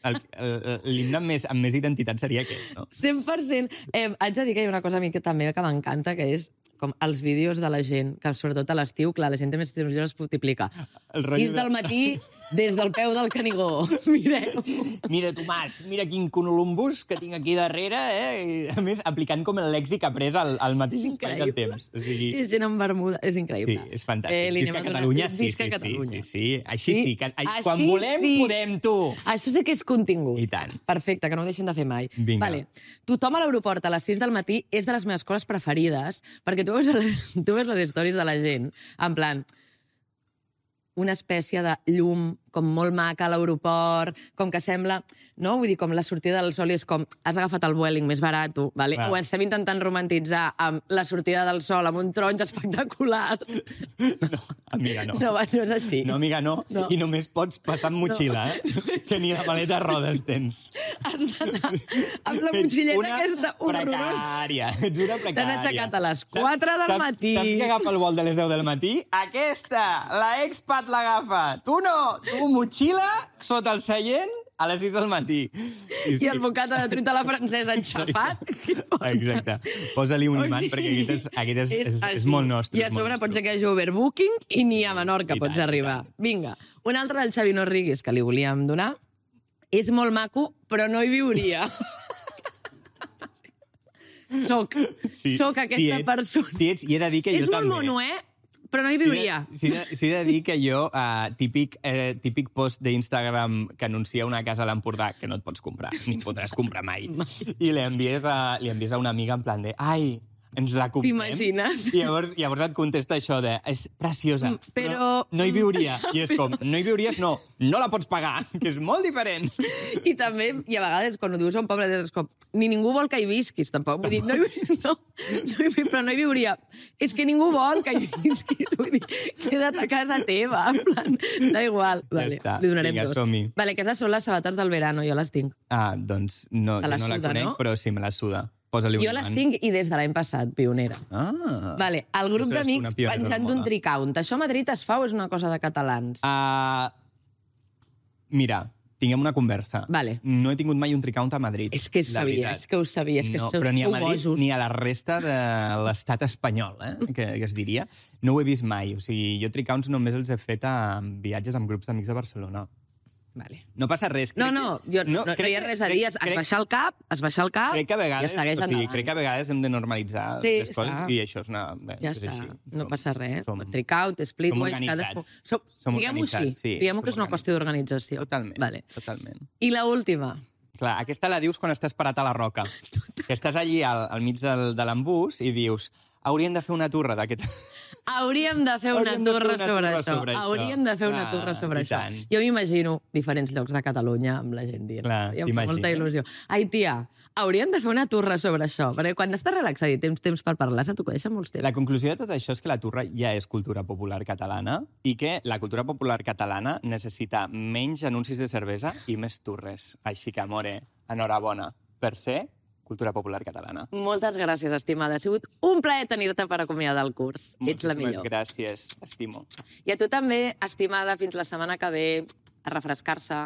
l'himne amb més identitat seria aquest, no? 100%. Haig de dir que hi ha una cosa a mi que també que m'encanta, que és com els vídeos de la gent, que sobretot a l'estiu, clar, la gent té més temps lliures, es multiplica. El rotllo 6 del matí, des del peu del Canigó. Mireu. Mira, Tomàs, mira quin columbus que tinc aquí darrere, eh? I, a més, aplicant com el lèxic après al mateix espai del temps. O sigui, I gent en bermuda, és increïble. sí, és fantàstic. li Visca anem a donar- Catalunya, sí, Visca sí, Catalunya. sí. Així sí. Així Quan volem, sí. podem, tu. Això sí que és contingut. I tant. Perfecte, que no ho deixin de fer mai. Vinga. Vale. Tothom a l'aeroport a les 6 del matí és de les meves coses preferides, perquè tu veus les històries de la gent, en plan, una espècie de llum com molt maca a l'aeroport, com que sembla... No? Vull dir, com la sortida del sol i és com has agafat el Vueling més barat, vale? Clar. Ho estem intentant romantitzar amb la sortida del sol, amb un taronja espectacular. No, amiga, no. No, no és així. No, amiga, no. No. I només pots passar amb motxilla, que ni la maleta a rodes tens. Has d'anar amb la motxilleta aquesta horrorosa. Precària. Ets una precària. T'has aixecat a les 4 del matí. Saps que agafa el vol de les 10 del matí? Aquesta! La expat l'agafa. Tu no! Tu, motxilla, sota el seient, a les 6 del matí. I el bocata de truita a la francesa enxafat. Exacte. Posa-li un imant, perquè aquest és molt nostre. I a sobre pot ser que hi hagi overbooking i ni a Menorca I pots tant, arribar. Vinga. Un altre del Xavi Norrigues que li volíem donar. És molt maco, però no hi viuria. Soc aquesta persona. Sí, ets, i he de dir que És jo molt també. mono, però no hi viuria. Sí de dir que jo, típic post d'Instagram que anuncia una casa a l'Empordà que no et pots comprar, ni podràs comprar mai, i li envies a una amiga en plan de «Ai, ens la comprem?» T'imagines? I llavors et contesta això de «És preciosa, però no hi viuria». I és com «No hi viuries? No, no la pots pagar», que és molt diferent. I també, i a vegades, quan ho dius a un poble, és com, ni ningú vol que hi visquis, tampoc. Vull dir, però no hi viuria. És que ningú vol que hi visquis. Vull dir, queda't a casa teva. En plan, da igual. Vale, està. Li donarem Vinga, 2. som-hi. Vale, aquestes són les sabates del verano, jo les tinc. Doncs no, Te la jo no la suda, conec, no? però sí, me la suda. Posa-li un Jo les imant. tinc i des de l'any passat, pionera. Ah. Vale, el grup Això és d'amics una pionera penjant de d'un moda. tricount. Això a Madrid es fa o és una cosa de catalans? Mira, tinguem una conversa. Vale. No he tingut mai un tricount a Madrid. És que ho sabia, és que però ni a sou Madrid bojos. ni a la resta de l'estat espanyol, que es diria. No ho he vist mai. O sigui, jo tricounts només els he fet a viatges amb grups d'amics de Barcelona. Vale. No passa res. No hi ha res a dir. Es baixa el cap, crec que a vegades, i es segueix endavant. crec que a vegades hem de normalitzar les coses i això és una... Ja és està, així. no passa res. Trickout, splitwise, cadascú... Diguem-ho així, diguem-ho que és una qüestió d'organització. Totalment, vale. totalment. I la última. Clar, aquesta la dius quan estàs parat a la roca. Que estàs allí al mig de l'embús i dius, hauríem de fer una turra d'aquest... Hauríem de fer una turra sobre això. Hauríem de fer una turra sobre això. Jo m'imagino diferents llocs de Catalunya amb la gent dient. I em fa molta il·lusió. Ai, tia, hauríem de fer una turra sobre això. Perquè quan estàs relaxat i tens temps per parlar, se t'ho deixen molts temps. La conclusió de tot això és que la turra ja és cultura popular catalana i que la cultura popular catalana necessita menys anuncis de cervesa i més turres. Així que, amore, enhorabona per ser cultura popular catalana. Moltes gràcies, estimada. Ha sigut un plaer tenir-te per acomiadar el curs. Ets la millor. Moltíssimes gràcies, estimo. I a tu també, estimada, fins la setmana que ve, a refrescar-se.